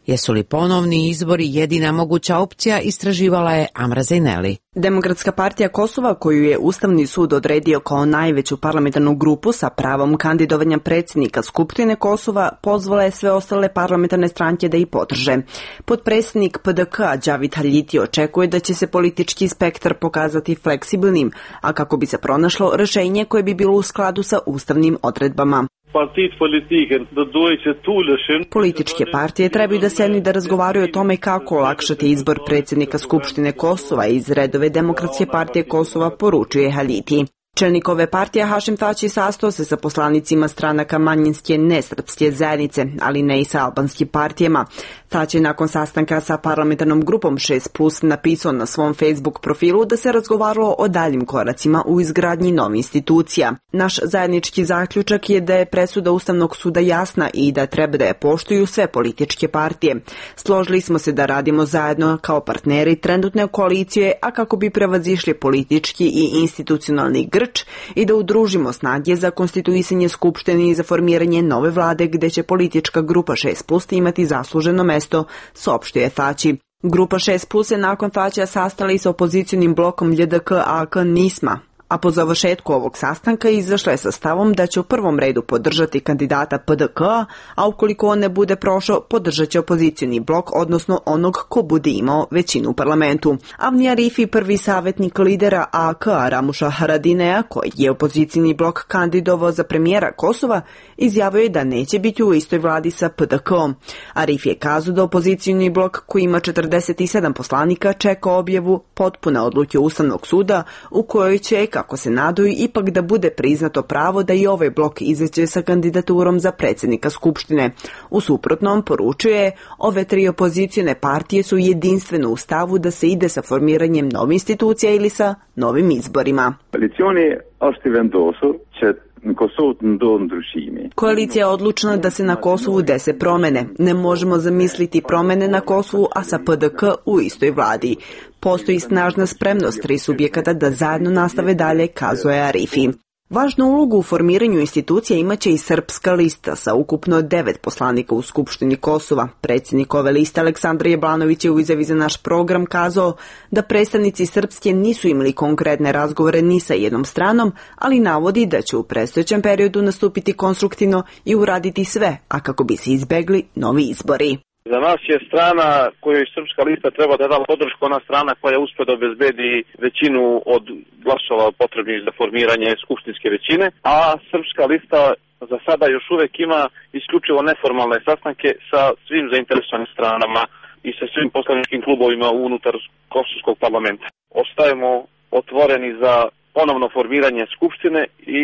Jesu li ponovni izbori jedina moguća opcija, istraživala je Amra Zejneli. Demokratska partija Kosova, koju je Ustavni sud odredio kao najveću parlamentarnu grupu sa pravom kandidovanja predsjednika Skupštine Kosova, pozvala je sve ostale parlamentarne stranke da ih podrže. Potpredsjednik PDK-a Đavid Haljiti očekuje da će se politički spektar pokazati fleksibilnim, a kako bi se pronašlo rješenje koje bi bilo u skladu sa ustavnim odredbama. Političke partije trebaju da sednu da razgovaraju o tome kako olakšati izbor predsjednika Skupštine Kosova iz redove Demokratske partije Kosova, poručuje Haljiti. Čelnik ove partije Hašim Tači sastao se sa poslanicima stranaka manjinske nesrpske zajednice, ali ne i sa albanskim partijama. Tači je nakon sastanka sa parlamentarnom grupom 6+ napisao na svom Facebook profilu da se razgovaralo o daljim koracima u izgradnji novih institucija. Naš zajednički zaključak je da je presuda Ustavnog suda jasna i da treba da je poštuju sve političke partije. Složili smo se da radimo zajedno kao partneri trenutne koalicije, a kako bi prevazišli politički i institucionalni grč i da udružimo snage za konstituisanje Skupštine i za formiranje nove vlade gde će politička grupa 6+ imati zasluženo mesto, saopštio je Tači. Grupa 6+ se nakon Tačija sastala i sa opozicionim blokom LJDK-AK NISMA, a po završetku ovog sastanka izašla je sa stavom da će u prvom redu podržati kandidata PDK-a, a ukoliko on ne bude prošao, podržat će opozicioni blok, odnosno onog ko bude imao većinu u parlamentu. Avni Arifi, prvi savjetnik lidera AK-a Ramuša Haradinea, koji je opozicioni blok kandidovao za premijera Kosova, izjavio je da neće biti u istoj vladi sa PDK-om. Arifi je kazao da opozicioni blok, koji ima 47 poslanika, čeka objavu potpune odluke Ustavnog suda u kojoj će, kako se nadaju, ipak da bude priznato pravo da i ovaj blok izađe sa kandidaturom za predsjednika Skupštine. U suprotnom, poručuje, ove tri opozicione partije su jedinstveno u stavu da se ide sa formiranjem novih institucija ili sa novim izborima. Koalicija je odlučna da se na Kosovu dese promene. Ne možemo zamisliti promene na Kosovu, a sa PDK u istoj vladi. Postoji snažna spremnost tri subjekata da zajedno nastave dalje, kazuje Arifi. Važnu ulogu u formiranju institucija imaće i Srpska lista sa ukupno 9 poslanika u Skupštini Kosova. Predsjednik ove liste Aleksandar Jablanović je u izjavi za naš program kazao da predstavnici Srpske nisu imali konkretne razgovore ni sa jednom stranom, ali navodi da će u predstojećem periodu nastupiti konstruktivno i uraditi sve, a kako bi se izbegli novi izbori. Za nas je strana kojoj Srpska lista treba da da podršku, ona strana koja uspe da obezbedi većinu od glasova potrebnih za formiranje skupštinske većine, a Srpska lista za sada još uvek ima isključivo neformalne sastanke sa svim zainteresovanim stranama i sa svim poslaničkim klubovima unutar kosovskog parlamenta. Ostajemo otvoreni za ponovno formiranje skupštine i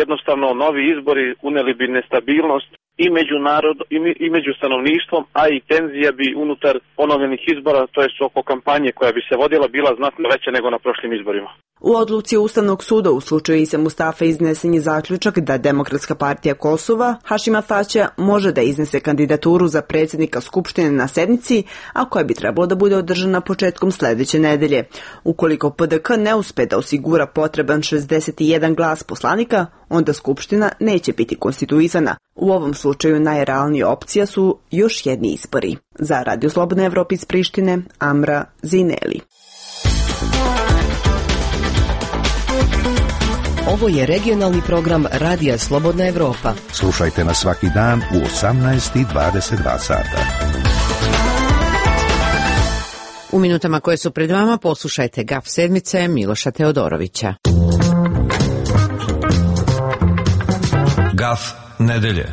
jednostavno novi izbori uneli bi nestabilnost i među narod i među stanovništvom, a i tenzija bi unutar ponovljenih izbora, to jest oko kampanje koja bi se vodila, bila znatno veća nego na prošlim izborima. U odluci Ustavnog suda u slučaju Ise Mustafe iznesen je zaključak da Demokratska partija Kosova Hašima Tačija može da iznese kandidaturu za predsjednika Skupštine na sednici, a koja bi trebalo da bude održana početkom sljedeće nedelje. Ukoliko PDK ne uspe da osigura potreban 61 glas poslanika, onda Skupština neće biti konstituisana. U ovom slučaju najrealnija opcija su još jedni izbori. Za Radio Slobodna Evropa iz Prištine, Amra Zejneli. Ovo je regionalni program Radija Slobodna Evropa. Slušajte nas svaki dan u 18:22 sata. U minutama koje su pred vama poslušajte GAF sedmice Miloša Teodorovića. GAF nedelje.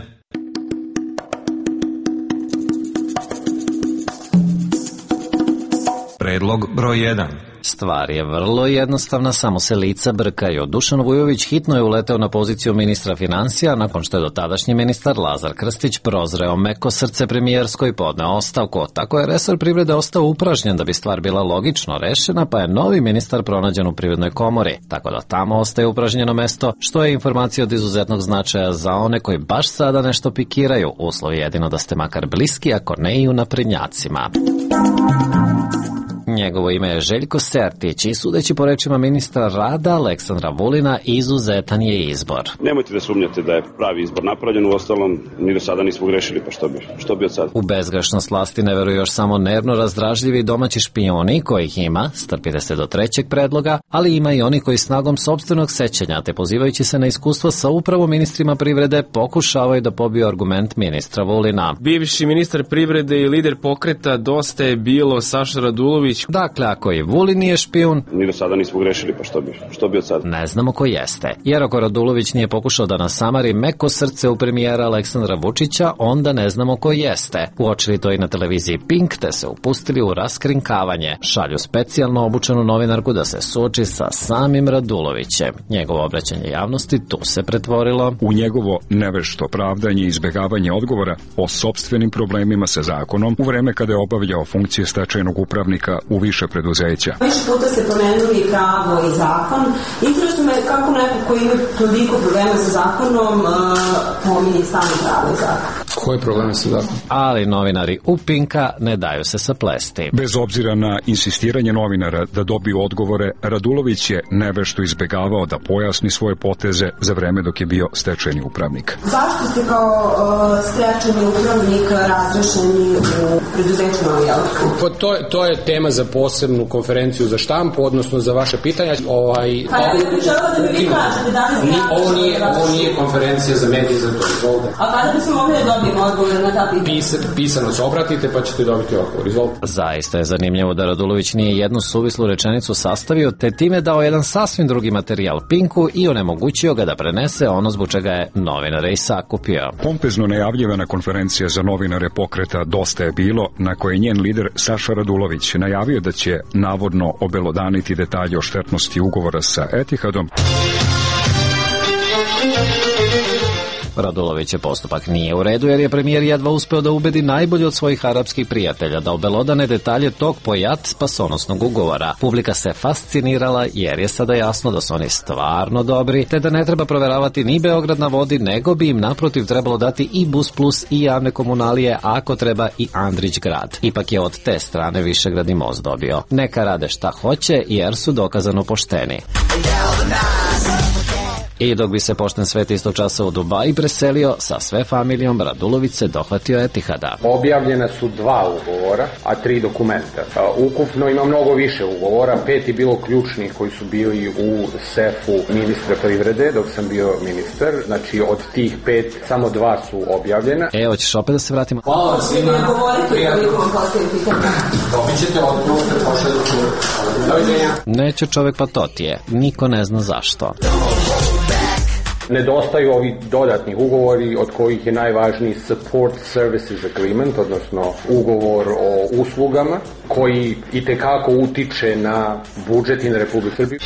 Predlog broj 1. Stvar je vrlo jednostavna, samo se lica brkaju. Dušan Vujović hitno je uleteo na poziciju ministra financija nakon što je dotadašnji ministar Lazar Krstić prozreo meko srce premijersko i podneo ostavku. Tako je resor privrede ostao upražnjen da bi stvar bila logično rešena, pa je novi ministar pronađen u Privrednoj komori. Tako da tamo ostaje upražnjeno mesto, što je informacija od izuzetnog značaja za one koji baš sada nešto pikiraju. Uslov je jedino da ste makar bliski, ako ne i u naprednjacima. Njegovo ime je Željko Sertić i sudeći po rečima ministra rada Aleksandra Vulina, izuzetan je izbor. Nemojte da sumnjate da je pravi izbor napravljen, uostalom mi do sada nismo grešili, pa što bi od sada? U bezgrešnost vlasti ne veruju još samo nervno razdražljivi domaći špijuni, kojih ima, strpite se do trećeg predloga, ali ima i oni koji snagom sopstvenog sećanja, te pozivajući se na iskustvo sa upravo ministrima privrede, pokušavaju da pobiju argument ministra Vulina. Bivši ministar privrede i lider pokreta Dosta je bilo Saša Radulović. Dakle, ako i Vulin nije špijun, mi do sada nismo grešili, pa što bi od sada? Ne znamo ko jeste. Jer ako Radulović nije pokušao da nasamari meko srce u premijera Aleksandra Vučića, onda ne znamo ko jeste. Uočili to i na televiziji Pink, te se upustili u raskrinkavanje. Šalju specijalno obučenu novinarku da se suoči sa samim Radulovićem. Njegovo obraćanje javnosti tu se pretvorilo u njegovo nevešto pravdanje i izbegavanje odgovora o sopstvenim problemima sa zakonom u vreme kada je obavljao funkcije stečajnog upravnika u više preduzeća. Više puta ste pomenuli pravo i zakon. Interesuje me kako neko koji ima toliko problema sa zakonom pominje samo pravo i zakon. Koje probleme sa zakonom? Ali novinari u Pinka ne daju se saplesti. Bez obzira na insistiranje novinara da dobiju odgovore, Radulović je nevešto izbegavao da pojasni svoje poteze za vreme dok je bio stečajni upravnik. Zašto ste kao stečajni upravnik razrešeni u preduzeću Novi Jelko? To je tema za posebnu konferenciju za štampu, odnosno za vaše pitanja. Ovo nije konferencija za medije za to. Izvolite. A kada bismo mogli da dobijemo odgovor na ta pitanja? Pisano se obratite pa ćete dobiti odgovor. Izvolite. Zaista je zanimljivo da Radulović nije jednu suvislu rečenicu sastavio, te time dao jedan sasvim drugi materijal Pinku i onemogućio ga da prenese ono zbog čega je novinare i sakupio. Pompezno najavljivana konferencija za novinare pokreta Dosta je bilo, na kojoj njen lider Saša Radulović najavio da će navodno obelodaniti detalje o štetnosti ugovora sa Etihadom. Radulovićev postupak nije u redu jer je premijer jedva uspeo da ubedi najbolje od svojih arapskih prijatelja da obelodane detalje tog pojat spasonosnog ugovora. Publika se fascinirala jer je sada jasno da su oni stvarno dobri, te da ne treba proveravati ni Beograd na vodi, nego bi im naprotiv trebalo dati i Bus Plus i javne komunalije, a ako treba i Andrić grad. Ipak je od te strane Višegradni most dobio. Neka rade šta hoće jer su dokazano pošteni. I dok bi se pošten svet istog časa u Dubai preselio, sa sve familijom Radulović se dohvatio Etihada. Objavljena su 2 ugovora, a 3 dokumenta. Ukupno ima mnogo više ugovora, 5 je bilo ključnih koji su bili u sefu ministra privrede dok sam bio ministar. Znači od tih 5 samo 2 su objavljena. Hoćeš opet da se vratimo? Hvala svima. Dobit ćete odgovor da pošaljete. Doviđenja. Neće čovek, pa to ti je. Niko ne zna zašto. Nedostaju ovi dodatni ugovori od kojih je najvažniji Support Services Agreement, odnosno ugovor o uslugama koji itekako utiče na budžet i na Republiku Srbiju.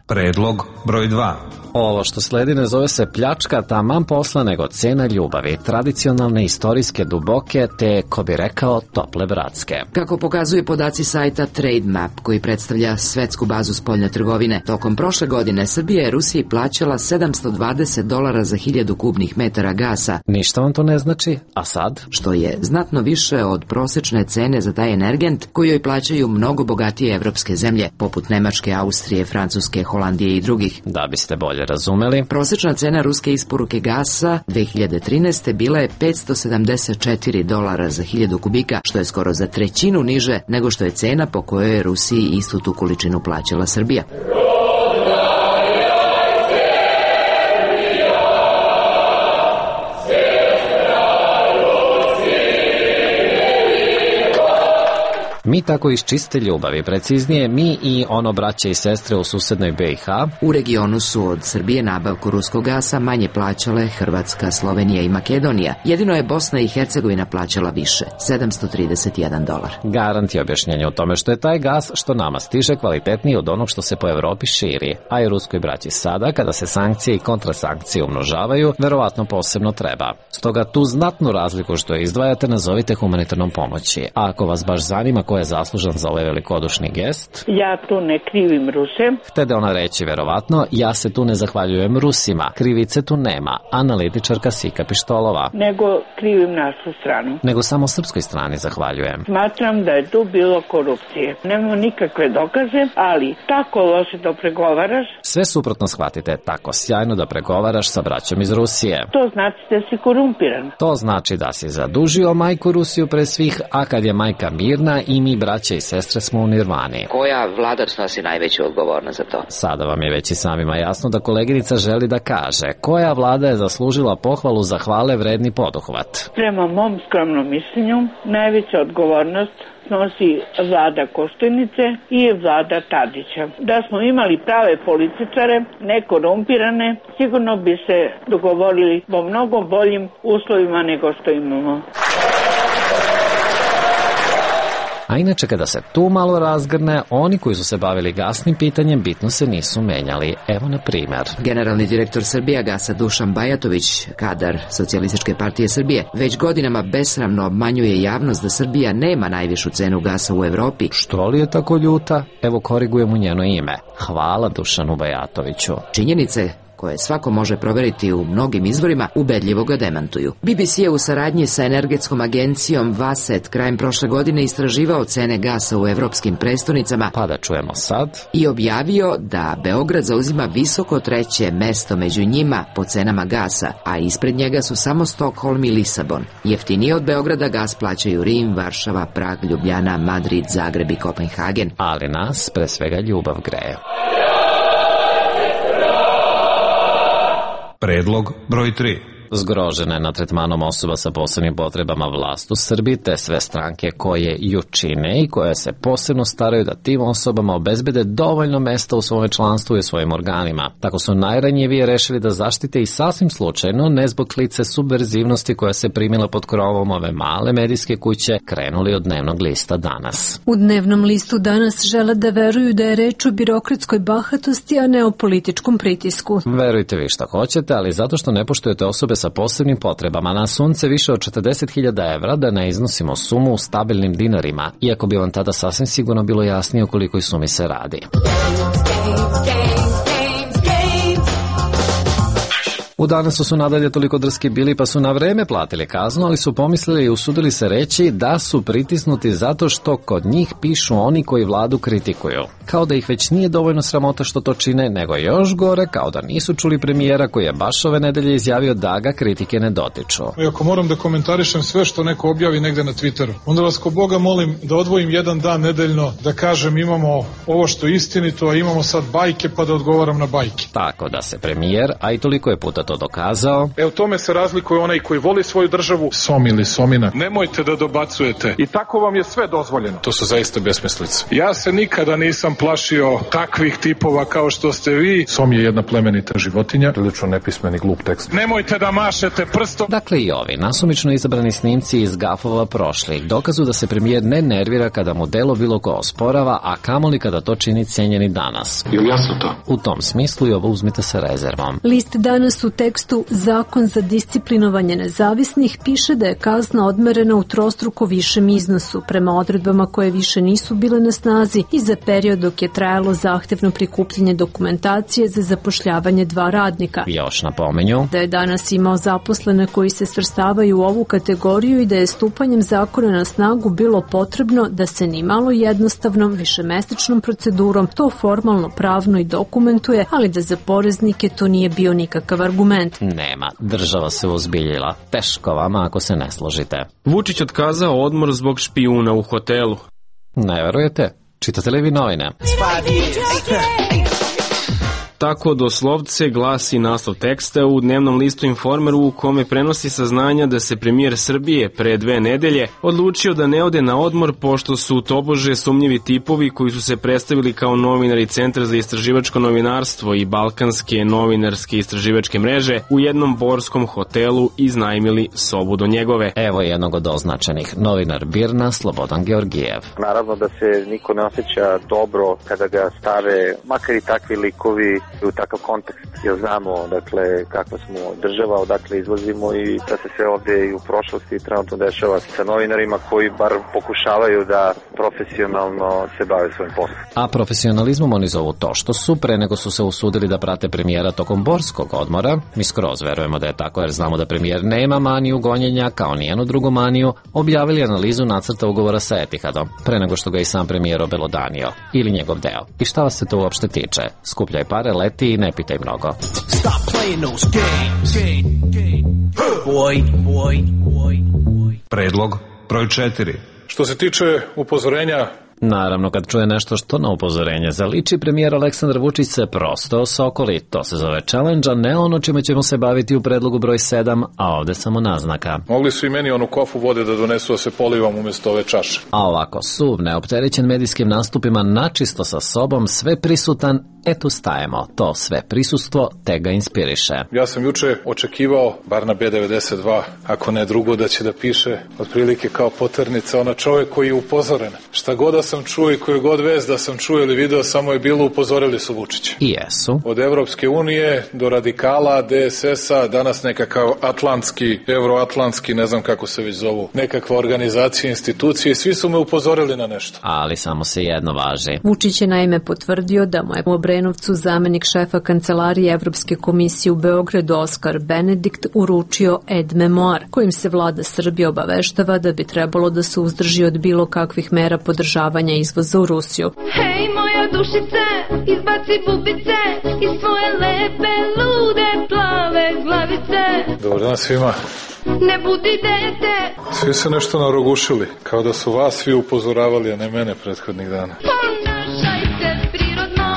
Predlog broj 2. Ovo što sledi ne zove se pljačka taman posla nego cena ljubavi, tradicionalne, istorijske, duboke, te, ko bi rekao, tople bratske. Kako pokazuju podaci sajta Trade Map, koji predstavlja svetsku bazu spoljne trgovine, tokom prošle godine Srbija je Rusiji plaćala $720 za 1000 kubnih metara gasa. Ništa vam to ne znači, a sad? Što je znatno više od prosečne cene za taj energent koju joj plaćaju mnogo bogatije evropske zemlje, poput Nemačke, Austrije, Francuske, Holandije i drugih. Da biste bolje razumeli, prosečna cena ruske isporuke gasa 2013. bila je $574 za 1000 kubika, što je skoro za trećinu niže nego što je cena po kojoj je Rusiji istu tu količinu plaćala Srbija. Mi tako iz čiste ljubavi, preciznije mi i ono braće i sestre u susednoj BiH. U regionu su od Srbije nabavku ruskog gasa manje plaćale Hrvatska, Slovenija i Makedonija. Jedino je Bosna i Hercegovina plaćala više, $731. Garant je objašnjenje u tome što je taj gas što nama stiže kvalitetniji od onog što se po Evropi širi, a i ruskoj braći sada, kada se sankcije i kontrasankcije umnožavaju, verovatno posebno treba. Stoga tu znatnu razliku što je izdvajate nazovite humanitarnom pomoći. A ako vas baš zanima ko je zaslužan za ovaj velikodušni gest... Ja tu ne krivim Ruse. Htede ona reći verovatno, ja se tu ne zahvaljujem Rusima. Krivice tu nema. Analitičarka Sika Pištolova. Nego krivim našu stranu. Nego samo srpskoj strani zahvaljujem. Smatram da je tu bilo korupcije. Nemamo nikakve dokaze, ali tako loše da pregovaraš. Sve suprotno shvatite, tako sjajno da pregovaraš sa braćom iz Rusije. To znači da si korumpiran. To znači da si zadužio majku Rusiju pre svih, a kad je majka mirna i mi braće i sestre smo u nirvani. Koja vlada snosi najveću odgovornost za to? Sada vam je već i samima jasno da koleginica želi da kaže koja vlada je zaslužila pohvalu za hvale vredni poduhvat. Prema mom skromnom mišljenju, najveća odgovornost snosi vlada Koštunice i vlada Tadića. Da smo imali prave političare, ne korumpirane, sigurno bi se dogovorili po mnogo boljim uslovima nego što imamo. A inače kada se tu malo razgrne, oni koji su se bavili gasnim pitanjem bitno se nisu menjali. Evo na primjer. Generalni direktor Srbijagasa Dušan Bajatović, kadar Socijalističke partije Srbije, već godinama besramno obmanjuje javnost da Srbija nema najvišu cenu gasa u Evropi. Što li je tako ljuta? Evo korigujem u njeno ime. Hvala Dušanu Bajatoviću. Činjenice koje svako može proveriti u mnogim izvorima, ubedljivo ga demantuju. BBC je u saradnji sa energetskom agencijom Vaset krajem prošle godine istraživao cene gasa u evropskim prestonicama, pa da čujemo sad, i objavio da Beograd zauzima visoko treće mesto među njima po cenama gasa, a ispred njega su samo Stokholm i Lisabon. Jeftinije od Beograda gas plaćaju Rim, Varšava, Prag, Ljubljana, Madrid, Zagreb i Kopenhagen. Ali nas pre svega ljubav greje. Predlog broj 3. Zgrožena je na tretmanom osoba sa posebnim potrebama vlast u Srbiji, te sve stranke koje ju čine i koje se posebno staraju da tim osobama obezbede dovoljno mesta u svome članstvu i u svojim organima. Tako su najranjivije rešili da zaštite i sasvim slučajno, ne zbog klice subverzivnosti koja se primila pod krovom ove male medijske kuće, krenuli od dnevnog lista Danas. U dnevnom listu Danas žele da veruju da je reč o birokratskoj bahatosti, a ne o političkom pritisku. Verujte vi šta hoćete, ali zato što ne poštujete osobe sa posebnim potrebama na sunce više od 40.000 evra, da ne iznosimo sumu u stabilnim dinarima, iako bi vam tada sasvim sigurno bilo jasnije o kolikoj sumi se radi. U Danasu su nadalje toliko drski bili pa su na vreme platili kaznu, ali su pomislili i usudili se reći da su pritisnuti zato što kod njih pišu oni koji vladu kritikuju. Kao da ih već nije dovoljno sramota što to čine, nego još gore, kao da nisu čuli premijera koji je baš ove nedelje izjavio da ga kritike ne dotiču. I ako moram da komentarišem sve što neko objavi negde na Twitteru, onda vas ko Boga molim da odvojim jedan dan nedeljno da kažem imamo ovo što je istinito, a imamo sad bajke pa da odgovaram na bajke. Tako da se premijer, a i toliko je puta to dokazao. U tome se razlikuje onaj koji voli svoju državu, som ili somina. Nemojte da dobacujete. I tako vam je sve dozvoljeno. To su zaista besmislice. Ja se nikada nisam plašio takvih tipova kao što ste vi. Som je jedna plemenita životinja. Prilično nepismeni glup tekst. Nemojte da mašete prstom. Dakle i ovi nasumično izabrani snimci iz gafova prošli dokazu da se premijer ne nervira kada mu delo bilo ko osporava, a kamoli kada to čini cenjeni Danas. Jel jasno to? U tom smislu i ovo uzmite sa rezervom. List Danas u tekstu Zakon za disciplinovanje nezavisnih piše da je kazna odmerena u trostruko višem iznosu prema odredbama koje više nisu bile na snazi i za period dok je trajalo zahtevno prikupljanje dokumentacije za zapošljavanje 2 radnika. Još napomenju da je Danas imao zaposlene koji se svrstavaju u ovu kategoriju i da je stupanjem zakona na snagu bilo potrebno da se ni malo jednostavnom višemesečnom procedurom to formalno pravno i dokumentuje, ali da za poreznike to nije bio nikakav argument. Nema, država se uzbiljila. Teško vama ako se ne složite. Vučić otkazao odmor zbog špijuna u hotelu. Ne verujete? Čitate li vi novine? Tako doslovce glasi naslov teksta u dnevnom listu Informeru u kome prenosi saznanja da se premijer Srbije pre 2 nedelje odlučio da ne ode na odmor pošto su tobože sumnjivi tipovi koji su se predstavili kao novinari Centra za istraživačko novinarstvo i Balkanske novinarske istraživačke mreže u jednom borskom hotelu iznajmili sobu do njegove. Evo jednog od označenih, novinar BIRN-a Slobodan Georgijev. Naravno da se niko ne osjeća dobro kada ga stave, makar i takvi likovi, u takav kontekst, jer znamo dakle kakva smo država, odakle izlazimo i da se sve ovdje i u prošlosti trenutno dešava sa novinarima koji bar pokušavaju da profesionalno se bave svojim poslom. A profesionalizmom oni zovu to što su pre nego su se usudili da prate premijera tokom borskog odmora. Mi skroz verujemo da je tako jer znamo da premijer nema maniju gonjenja kao nijenu drugu maniju, objavili analizu nacrta ugovora sa Etihadom, pre nego što ga i sam premijer obelodanio, ili njegov deo. I šta vas se to uopšte tiče? Skupljaj pare, leti i ne pitaj mnogo. Predlog broj 4. Što se tiče upozorenja, naravno, kad čuje nešto što na upozorenje zaliči, premijer Aleksandar Vučić se prosto osokoli. To se zove challenge, a ne ono čime ćemo se baviti u predlogu broj 7, a ovde samo naznaka. Mogli su i meni onu kofu vode da donesu da se polivam umjesto ove čaše. A ovako, suv, neopterećen medijskim nastupima, načisto sa sobom, sve prisutan, tu stajemo. To sve prisustvo te ga inspiriše. Ja sam juče očekivao, bar na B92, ako ne drugo, da će da piše otprilike kao poternica, ona čovjek koji je upozoren. Šta god da sam čuo i koju god vest da sam čuo ili video, samo je bilo upozorili su Vučića. I jesu. Od Evropske unije do radikala, DSS-a, danas nekakav atlantski, euroatlantski, ne znam kako se već zovu, nekakva organizacija, institucije, svi su me upozorili na nešto. Ali samo se jedno važi. Vučić je naime potvrdio da mu je u Obrenovcu zamenik šefa Kancelarije Evropske komisije u Beogradu Oskar Benedikt uručio aide memoire, kojim se vlada Srbije obaveštava da bi trebalo da se uzdrži od bilo kakvih mera podržavanja izvoza u Rusiju. Hej moja dušice, izbaci bubice iz svoje lepe, lude, plave glavice. Dobar dan svima. Ne budi dete. Svi se nešto narogušili, kao da su vas svi upozoravali, a ne mene prethodnih dana. Ponašaj se prirodno.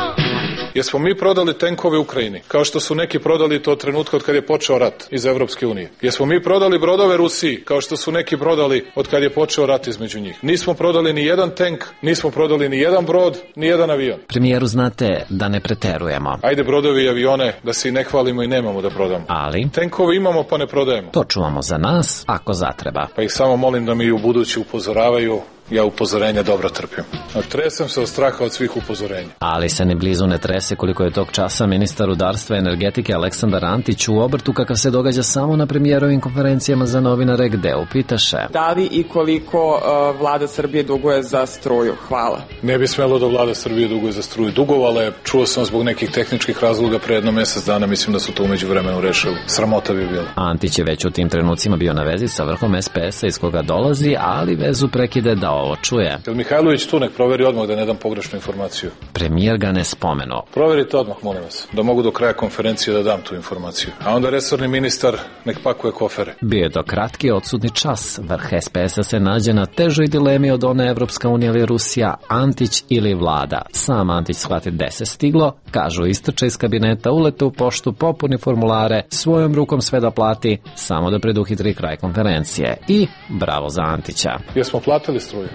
Jesmo mi prodali tenkove Ukrajini, kao što su neki prodali to trenutka od kad je počeo rat iz Evropske unije? Jesmo mi prodali brodove Rusiji, kao što su neki prodali od kad je počeo rat između njih? Nismo prodali ni jedan tank, nismo prodali ni jedan brod, ni jedan avion. Premijeru, znate da ne preterujemo. Ajde brodovi i avione, da se i ne hvalimo i nemamo da prodamo. Ali? Tenkove imamo pa ne prodajemo. To čuvamo za nas, ako zatreba. Pa ih samo molim da mi u budući upozoravaju. Ja upozorenja dobro trpim. Tresem se od straha od svih upozorenja. Ali se ni blizu ne trese koliko je tog časa ministar rudarstva i energetike Aleksandar Antić u obrtu kakav se događa samo na premijerovim konferencijama za novinare gde upitaše. Da li i koliko vlada Srbije duguje za struju? Hvala. Ne bi smelo da vlada Srbije duguje za struju. Dugovala je, čuo sam zbog nekih tehničkih razloga pre jedno mjesec dana, mislim da su to umeđu vremenu rešili. Sramota bi bilo. Antić je već u tim trenucima bio na vezi sa vrhom SPS-a iz koga dolazi, ali vezu prekide da ovo čuje. Jel Mihajlović tu, nek proveri odmah da ne dam pogrešnu informaciju. Premijer ga ne spomenuo. Proverite odmah, molim vas, da mogu do kraja konferencije da dam tu informaciju. A onda resorni ministar nek pakuje kofere. Bio je to kratki odsutni čas. Vrh SPS-a se nađe na težoj dilemi od one Evropska unija ili Rusija, Antić ili vlada. Sam Antić shvati gde se stiglo, kažu istrče iz kabineta, ulete u poštu, popuni formulare, svojom rukom sve da plati, samo da preduhitri kraj konferencije. I bravo za Antića. Jesmo platili struju?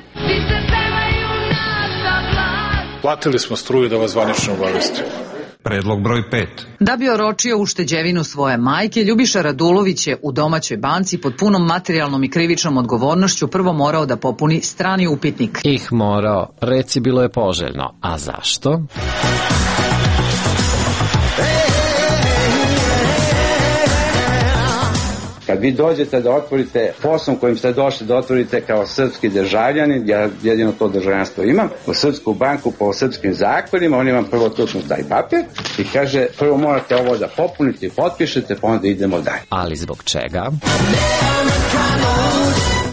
Platili smo struju, da vas zvanično obavestim. Predlog broj 5. Da bi oročio ušteđevinu svoje majke, Ljubiša Radulović je u domaćoj banci pod punom materijalnom i krivičnom odgovornošću prvo morao da popuni strani upitnik. Morao, reci bilo je poželjno. A zašto? Kad vi dođete da otvorite poslom kojim ste došli da otvorite kao srpski državljanin, ja jedino to državljanstvo imam, u srpsku banku po srpskim zakonima, oni vam prvo tučnu taj papir i kaže prvo morate ovo da popunite i potpišete, pa onda idemo dalje. Ali zbog čega?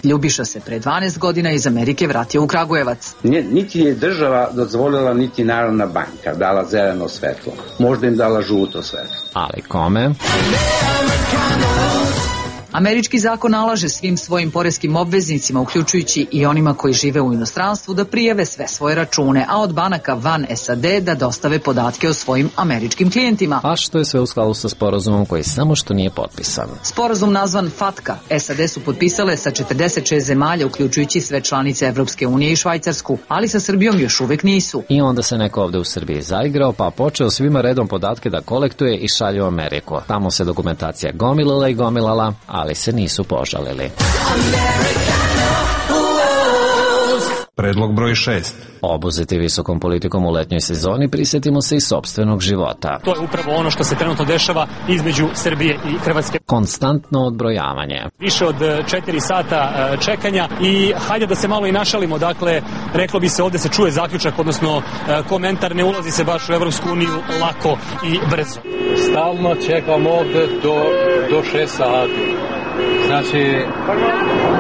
Ljubiša se pre 12 godina iz Amerike vratio u Kragujevac. Niti je država dozvolila, niti Narodna banka dala zeleno svetlo. Možda im dala žuto svetlo. Ali kome? Američki zakon nalaže svim svojim poreskim obveznicima, uključujući i onima koji žive u inostranstvu, da prijave sve svoje račune, a od banaka van SAD da dostave podatke o svojim američkim klijentima. A što je sve u skladu sa sporazumom koji samo što nije potpisan. Sporazum nazvan FATCA SAD su potpisale sa 46 zemalja, uključujući sve članice Evropske unije i Švajcarsku, ali sa Srbijom još uvek nisu. I onda se neko ovde u Srbiji zaigrao, pa počeo svima redom podatke da kolektuje i šalje u Ameriku. Tamo se dokumentacija gomilala i gomilala, ali se nisu požalili. Predlog broj 6. Obuzeti visokom politikom u letnjoj sezoni, prisjetimo se i sopstvenog života. To je upravo ono što se trenutno dešava između Srbije i Hrvatske. Konstantno odbrojavanje. Više od 4 sata čekanja i hajde da se malo i našalimo, dakle, reklo bi se ovde se čuje zaključak, odnosno komentar, ne ulazi se baš u Evropsku uniju lako i brzo. Stalno čekam ovde do 6 sati. Znači,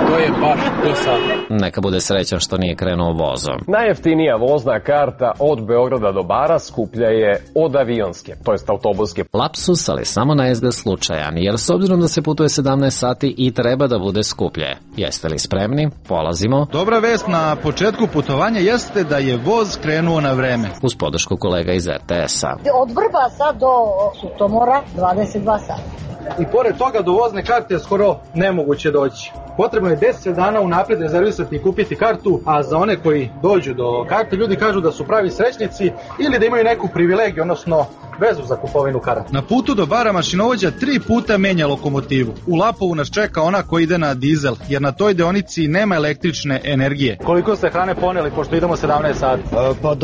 to je baš do sada. Neka bude srećan što nije krenuo vozom. Najjeftinija vozna karta od Beograda do Bara skuplja je od avionske, to jest autobuske. Lapsus, ali samo na izgled slučajan, jer s obzirom da se putuje 17 sati i treba da bude skuplje. Jeste li spremni? Polazimo. Dobra vest na početku putovanja jeste da je voz krenuo na vreme. Uz podršku kolega iz RTS-a. Od Vrbasa do Sutomora 22 sata. I pored toga do vozne karte je skoro nemoguće doći. Potrebno je 10 dana unapred rezervisati i kupiti kartu, a za one koji dođu do karte ljudi kažu da su pravi srećnici ili da imaju neku privilegiju, odnosno vezu za kupovinu karata. Na putu do Bara mašinovođa 3 puta menja lokomotivu. U Lapovu nas čeka ona koja ide na dizel, jer na toj deonici nema električne energije. Koliko ste hrane poneli, pošto idemo 17 sati? Pa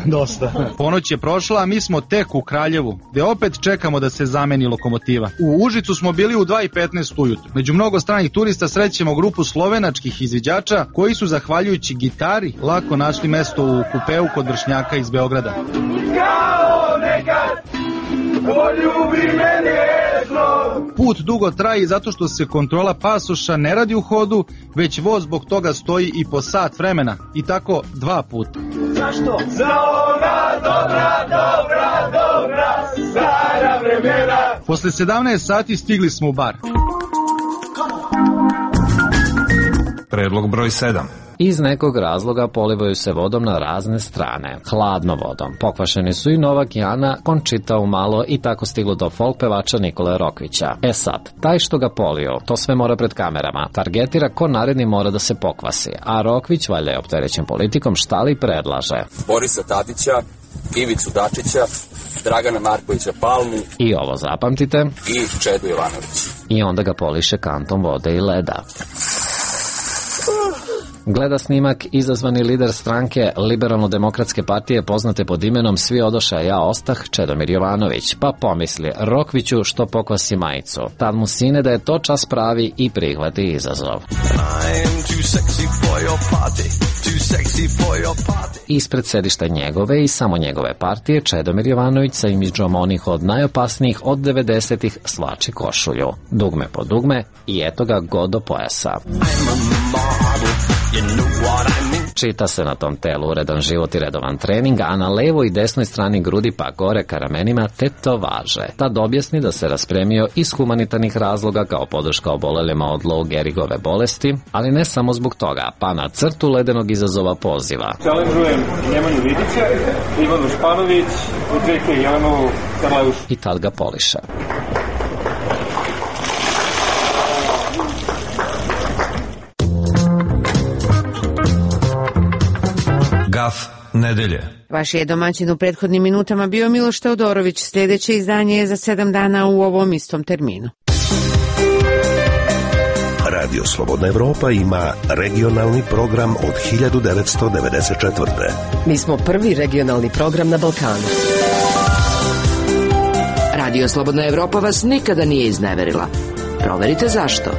dosta. Ponoć je prošla, a mi smo tek u Kraljevu, gde opet čekamo da se zameni lokomotiva. U Užicu smo bili u 2:15 ujutru. Među mnogo stranih turista srećemo grupu slovenačkih izviđača koji su, zahvaljujući gitari, lako našli mesto u kupeu kod vršnjaka iz Beograda. Kao nekad, poljubi me nježno. Put dugo traje zato što se kontrola pasoša ne radi u hodu, već voz zbog toga stoji i po sat vremena. I tako 2 puta. Zašto? Za ona dobra, stara vremena. Posle 17 sati stigli smo u Bar. Predlog broj 7. Iz nekog razloga polivaju se vodom na razne strane, hladno vodom. Pokvašeni su i Novak i Ana, Končita umalo i tako stiglo do folk pevača Nikole Rokvića. E sad, taj što ga polio, to sve mora pred kamerama, targetira ko naredni mora da se pokvasi, a Rokvić, valjda je opterećen politikom, šta li predlaže? Borisa Tadića, Ivicu Dačića, Dragana Markovića Palmu i ovo zapamtite i Čedu Jovanović. I onda ga poliše kantom vode i leda. Gleda snimak izazvani lider stranke Liberalno-demokratske partije poznate pod imenom Svi odoša, ja ostah, Čedomir Jovanović, pa pomisli Rokviću što pokvasi majicu. Tad mu sine da je to čas pravi i prihvati izazov. Ispred sedišta njegove i samo njegove partije Čedomir Jovanović sa imidžom onih od najopasnijih od 90-ih svlači košulju. Dugme po dugme i eto ga go do pojasa. Čita se na tom telu uredan život i redovan trening, a na levoj i desnoj strani grudi pa gore ka ramenima tetovaže. Tad objasni da se raspremio iz humanitarnih razloga kao podrška obolelima od Lou Gehrigove bolesti, ali ne samo zbog toga, pa na crtu ledenog izazova poziva. Challenge'ujem Nemanju Vidića, Ivanu Španović, Udveke Jelenovu Karlajušu. I tad ga poliše. Gaf nedelje. Vaš je domaćin u prethodnim minutama bio Miloš Teodorović. Sljedeće izdanje je za 7 dana u ovom istom terminu. Radio Slobodna Evropa ima regionalni program od 1994. Mi smo prvi regionalni program na Balkanu. Radio Slobodna Evropa vas nikada nije izneverila. Proverite zašto.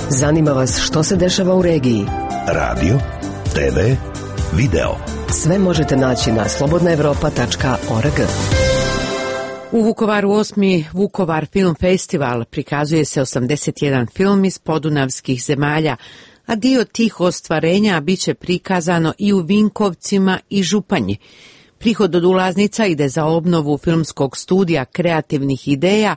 Zanima vas što se dešava u regiji. Radio, TV, video. Sve možete naći na slobodnaevropa.org. U Vukovaru 8. Vukovar Film Festival prikazuje se 81 film iz podunavskih zemalja, a dio tih ostvarenja biće prikazano i u Vinkovcima i Županji. Prihod od ulaznica ide za obnovu filmskog studija kreativnih ideja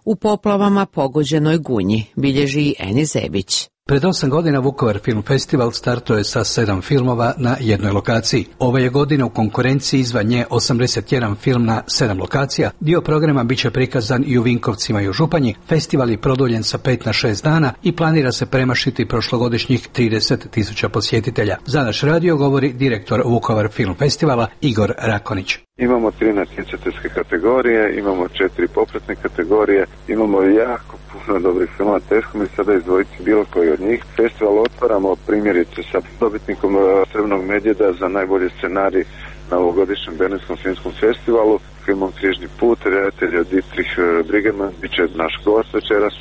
u poplavama pogođenoj Gunji, bilježi Eni Zebić. Pred 8 godina Vukovar Film Festival startuje sa 7 filmova na jednoj lokaciji. Ove je godine u konkurenciji izvan nje 81 film na 7 lokacija. Dio programa biće prikazan i u Vinkovcima i u Županji. Festival je produljen sa 5 na 6 dana i planira se premašiti prošlogodišnjih 30.000 posjetitelja. Za naš radio govori direktor Vukovar Film Festivala Igor Rakonić. Imamo 3 natjecateljske kategorije, imamo 4 popratne kategorije, imamo jako puno dobrih filmova, teško mi sada izdvojiti bilo koji od njih. Festival otvaramo primjerice sa dobitnikom Srebrnog medvjeda za najbolji scenarij na ovogodišnjem Berlinskom filmskom festivalu, filmom Križni put, redatelj od Dietrich Briggemann, bit će naš gost večeras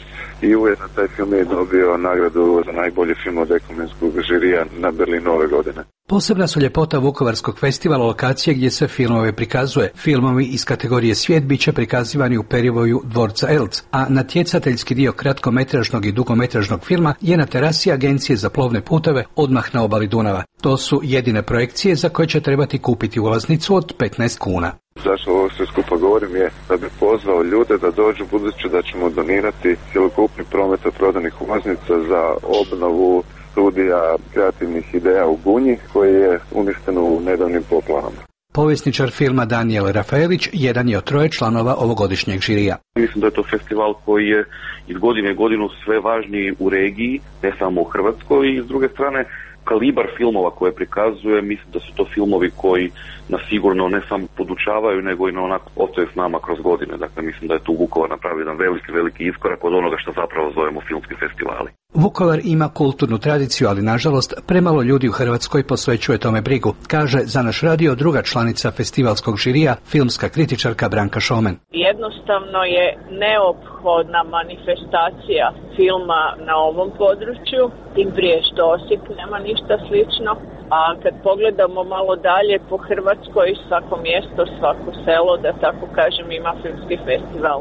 i ujedno taj film je dobio nagradu za najbolji film od ekumenskog žirija na Berlinu ove godine. Posebna su ljepota Vukovarskog festivala lokacije gdje se filmove prikazuje. Filmovi iz kategorije Svijet bit će prikazivani u perivoju dvorca Elc, a natjecateljski dio kratkometražnog i dugometražnog filma je na terasi Agencije za plovne puteve odmah na obali Dunava. To su jedine projekcije za koje će trebati kupiti ulaznicu od 15 kuna. Zašto ovo sve skupa govorim je da bi pozvao ljude da dođu, budući da ćemo donirati cjelokupni promet od prodanih ulaznica za obnovu studija kreativnih ideja u Gunji koji je uništeno u nedavnim poplavama. Povjesničar filma Danijel Rafaelić jedan je od 3 članova ovogodišnjeg žirija. Mislim da je to festival koji je iz godine u godinu sve važniji u regiji, ne samo u Hrvatskoj, i s druge strane kalibar filmova koje prikazuje, mislim da su to filmovi koji nas sigurno ne samo podučavaju, nego i onako ostaju s nama kroz godine. Dakle, mislim da je tu Vukovar napravio jedan veliki iskorak od onoga što zapravo zovemo filmski festivali. Vukovar ima kulturnu tradiciju, ali nažalost premalo ljudi u Hrvatskoj posvećuje tome brigu, kaže za naš radio druga članica festivalskog žirija, filmska kritičarka Branka Šomen. Jednostavno je neophodna manifestacija filma na ovom području, tim prije što Osijek nema ništa slično, a kad pogledamo malo dalje po Hrvatskoj, svako mjesto, svako selo, da tako kažem, ima filmski festival,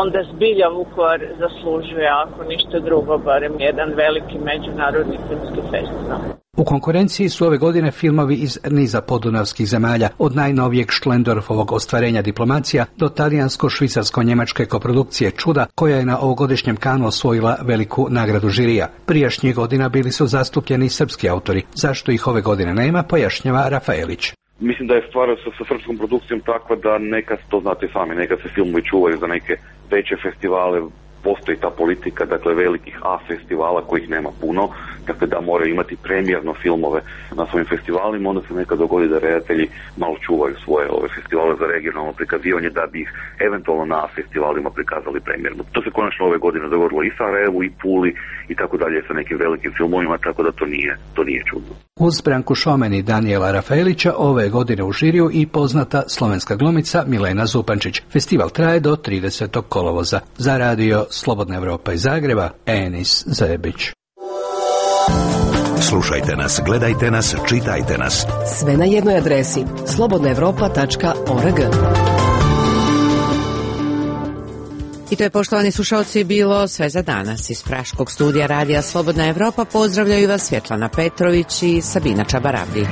onda zbilja Vukovar zaslužuje, ako ništa drugo, barem jedan veliki međunarodni filmski festival. U konkurenciji su ove godine filmovi iz niza podunavskih zemalja, od najnovijeg Šlendorfovog ostvarenja diplomacija do talijansko-švicarsko-njemačke koprodukcije Čuda, koja je na ovogodišnjem Cannesu osvojila veliku nagradu žirija. Prijašnjih godina bili su zastupljeni srpski autori. Zašto ih ove godine nema, pojašnjava Rafaelić. Mislim da je stvar sa srpskom produkcijom takva da nekad, to znate sami, nekad se filmovi čuvaju za neke veće festivale, postoji ta politika, dakle, velikih A festivala kojih nema puno, dakle da moraju imati premijerno filmove na svojim festivalima, onda se nekad dogodi da redatelji malo čuvaju svoje ove festivale za regionalno prikazivanje da bi ih eventualno na festivalima prikazali premijerno. To se konačno ove godine dogodilo i Sarajevu i Puli i tako dalje sa nekim velikim filmovima, tako da to nije čudno. Uz Branku Šomen i Danijela Rafaelića ove godine u žiriju i poznata slovenska glumica Milena Zupančić. Festival traje do 30. kolovoza. Za radio Slobodna Evropa iz Zagreba, Enis Zebić. Slušajte nas, gledajte nas, čitajte nas. Sve na jednoj adresi slobodnaevropa.org. I to je, poštovani slušalci, bilo sve za danas. Iz Praškog studija radija Slobodna Evropa pozdravljaju vas Svjetlana Petrović i Sabina Čabaravdić.